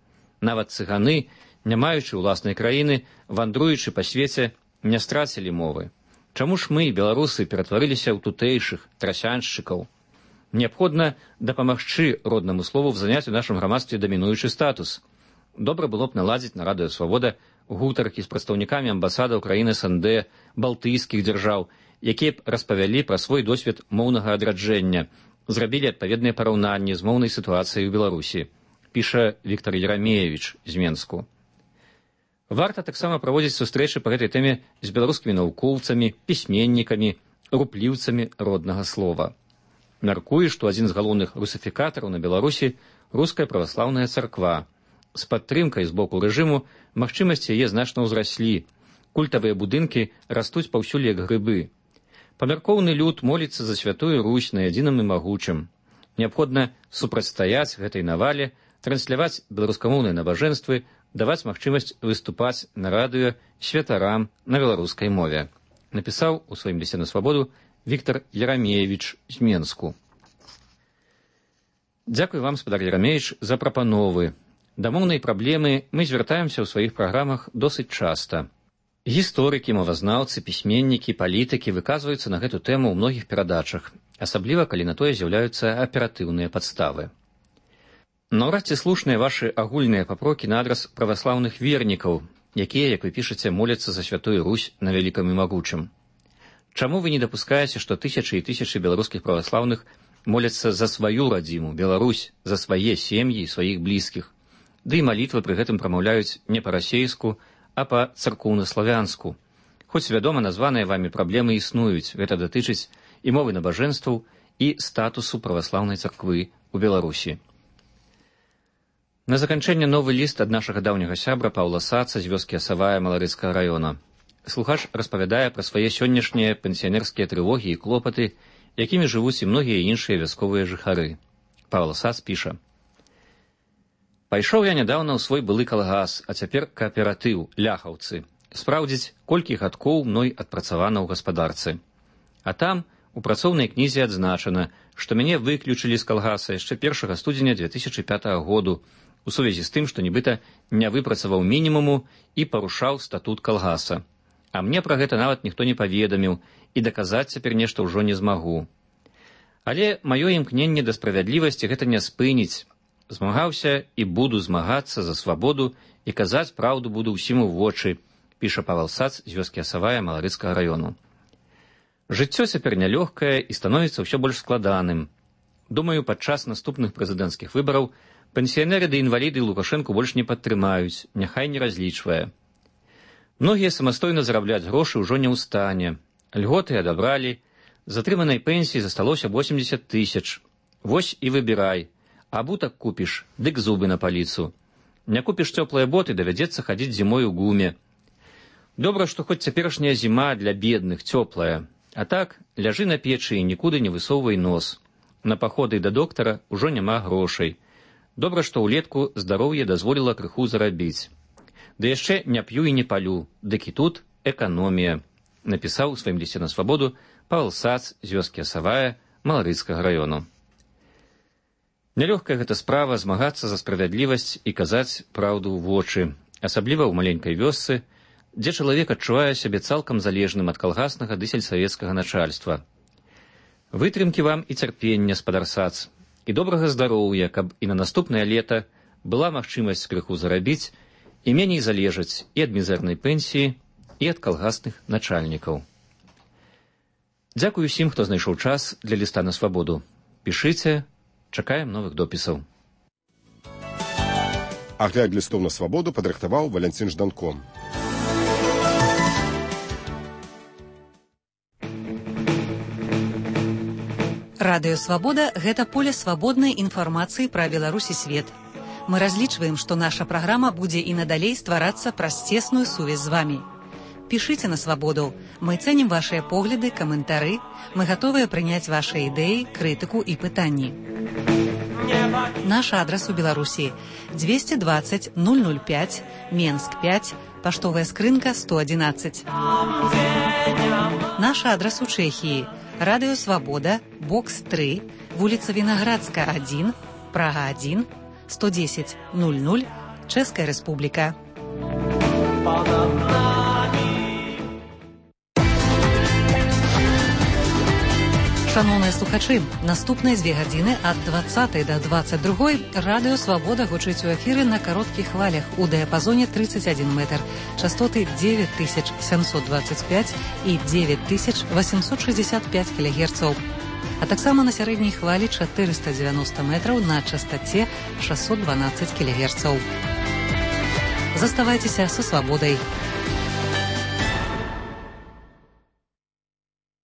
Нават цыганы, не маючы ўласнай краіны, вандруючы па свеце, не страцілі мовы. Чаму ж мы, беларусы, ператварыліся ў тутэйшых, трасяншчыкаў? Неабходна дапамагчы роднаму слову заняць у нашым грамадстве дамінуючы статус. Добра было б наладзіць на радыё «Свабода» гутаркі з прадстаўнікамі амбасадаў краін эс эн дэ, балтыйскіх дзяржаў, якія б распавялі пра свой досвед моўнага адраджэння, зрабілі адпаведныя параўнанні з моўнай сітуацыяй у Беларусі», піша Віктар Ярамеевіч з Менску. Варта таксама праводзіць сустрэчы па гэтай тэме з беларускімі навукоўцамі, пісьменнікамі, рупліўцамі роднага слова. Мяркую, што адзін з галоўных русафікатараў на Беларусі — руская праваслаўная царква. З падтрымкай з боку рэжыму магчымасці яе значна ўзраслі. Культавыя будынкі растуць паўсюль як грыбы. Памяркоўны люд моліцца за святую Русь на адзіным і магучым. Неабходна супрацьстаяць гэтай навале, трансляваць беларускамоўныя набажэнствы, даваць магчымасць выступаць на радыё святарам на беларускай мове, напісаў у сваім лісце на свабоду Віктар Ярамеевіч з Менску. Дзякуй вам, спадар Ярамеевіч, за прапановы. Да моўнай праблемы мы звяртаемся ў сваіх праграмах досыць часта. Гісторыкі, мовазнаўцы, пісьменнікі, палітыкі выказваюцца на гэту тэму ў многіх перадачах, асабліва калі на тое з'яўляюцца аператыўныя падставы. Наўрад ці слушныя вашы агульныя папрокі на адрас праваслаўных вернікаў, якія, як вы пішаце, моляцца за святую Русь на вялікам і магучым. Чаму вы не дапускаеце, што тысячы і тысячы беларускіх праваслаўных моляцца за сваю радзіму, Беларусь, за свае сем'і і сваіх блізкіх? Ды і малітвы пры гэтым прамаўляюць не па-расейску, а па-царкоўна-славянску. Хоць, вядома, названыя вамі праблемы існуюць, гэта датычыць і мовы набажэнстваў, і статусу праваслаўнай царквы ў Беларусі. На заканчэнне новы ліст ад нашага даўняга сябра Паўла Саца з вёскі Асавая Маларыцкага раёна. Слухач распавядае пра свае сённяшнія пенсіянерскія трывогі і клопаты, якімі жывуць і многія іншыя вясковыя жыхары. Паўла Сац піша: «Пайшоў я нядаўна ў свой былы калгас, а цяпер кааператыў, ляхаўцы, спраўдзіць, колькі гадкоў мной адпрацавана ў гаспадарцы. А там у працоўнай кнізе адзначана, што мяне выключылі з калгаса яшчэ першага студзеня дзве тысячы пятага году, у сувязі з тым, што нібыта не выпрацаваў мінімуму і парушаў статут калгаса. А мне пра гэта нават ніхто не паведаміў, і даказаць цяпер нешта ўжо не змагу. Але маё імкненне да справядлівасці гэта не спыніць. Змагаўся і буду змагацца за свабоду, і казаць праўду буду ўсім у вочы», піша Павел Сац з вёскі Асавая Маларыцкага раёну. Жыццё цяпер нялёгкае і становіцца ўсё больш складаным. Думаю, падчас наступных прэзідэнцкіх выбараў пенсіянеры ды інваліды Лукашэнку больш не падтрымаюць, няхай не разлічвае. Многія самастойна зарабляць грошы ўжо не ў стане. Льготы адабралі, з атрыманай пенсіі засталося восемьдесят тысяч. Вось і выбірай. Абутак купіш, дык зубы на паліцу. Не купіш цёплыя боты, давядзецца хадзіць зімой у гуме. Добра, што хоць цяперашняя зіма для бедных цёплая. А так, ляжы на печы і нікуды не высоўвай нос. На паходы да доктара ўжо няма грошай. Добра, што ўлетку здароўе дазволіла крыху зарабіць. Ды яшчэ не п'ю і не палю, дык і тут эканомія, напісаў у сваім лісце на свабоду Павел Сац з вёскі Асавая Маларыцкага раёну. Нялёгкая гэта справа змагацца за справядлівасць і казаць праўду ў вочы, асабліва ў маленькай вёсцы, дзе чалавек адчувае сябе цалкам залежным ад калгаснага ды сельсавецкага начальства. Вытрымкі вам і цярпення, спадар Сац, і добрага здароўя, каб і на наступнае лета была магчымасць крыху зарабіць і меней залежаць і ад мізэрнай пенсіі, і ад калгасных начальнікаў. Дзякуй усім, хто знайшоў час для ліста на свабоду. Пішыце, чакаем новых допісаў. Агляд лістоў на свабоду падрыхтаваў Валянцін Жданко. Радыё «Свабода» – гэта поле свабоднай інфармацыі пра Беларусь і свет. Мы разлічваем, што наша праграма будзе і надалей стварацца праз цесную сувязь з вамі. Пишите на «Свободу». Мы ценим ваши погляды, комментары. Мы готовы принять ваши идеи, критику и пытания. Наш адрес у Беларуси двести двадцать ноль ноль пять, Менск пять, поштовая скрынка сто одиннадцать. Наш адрес у Чехии Радио Свобода, бокс три, улица Виноградская один, Прага один, сто десять ноль ноль, Чешская Республика. Шановні слухачі, наступні дві години від двадцятої до двадцять другої Радіо Свобода гучить у ефірі на коротких хвалях у діапазоні тридцять один метр, частоти дев'ять тисяч сімсот двадцять п'ять і дев'ять тисяч вісімсот шістдесят п'ять кілогерців. А так само на середній хвалі чотириста дев'яносто метрів на частоті шістсот дванадцять кілогерців. Заставайтеся со свободой.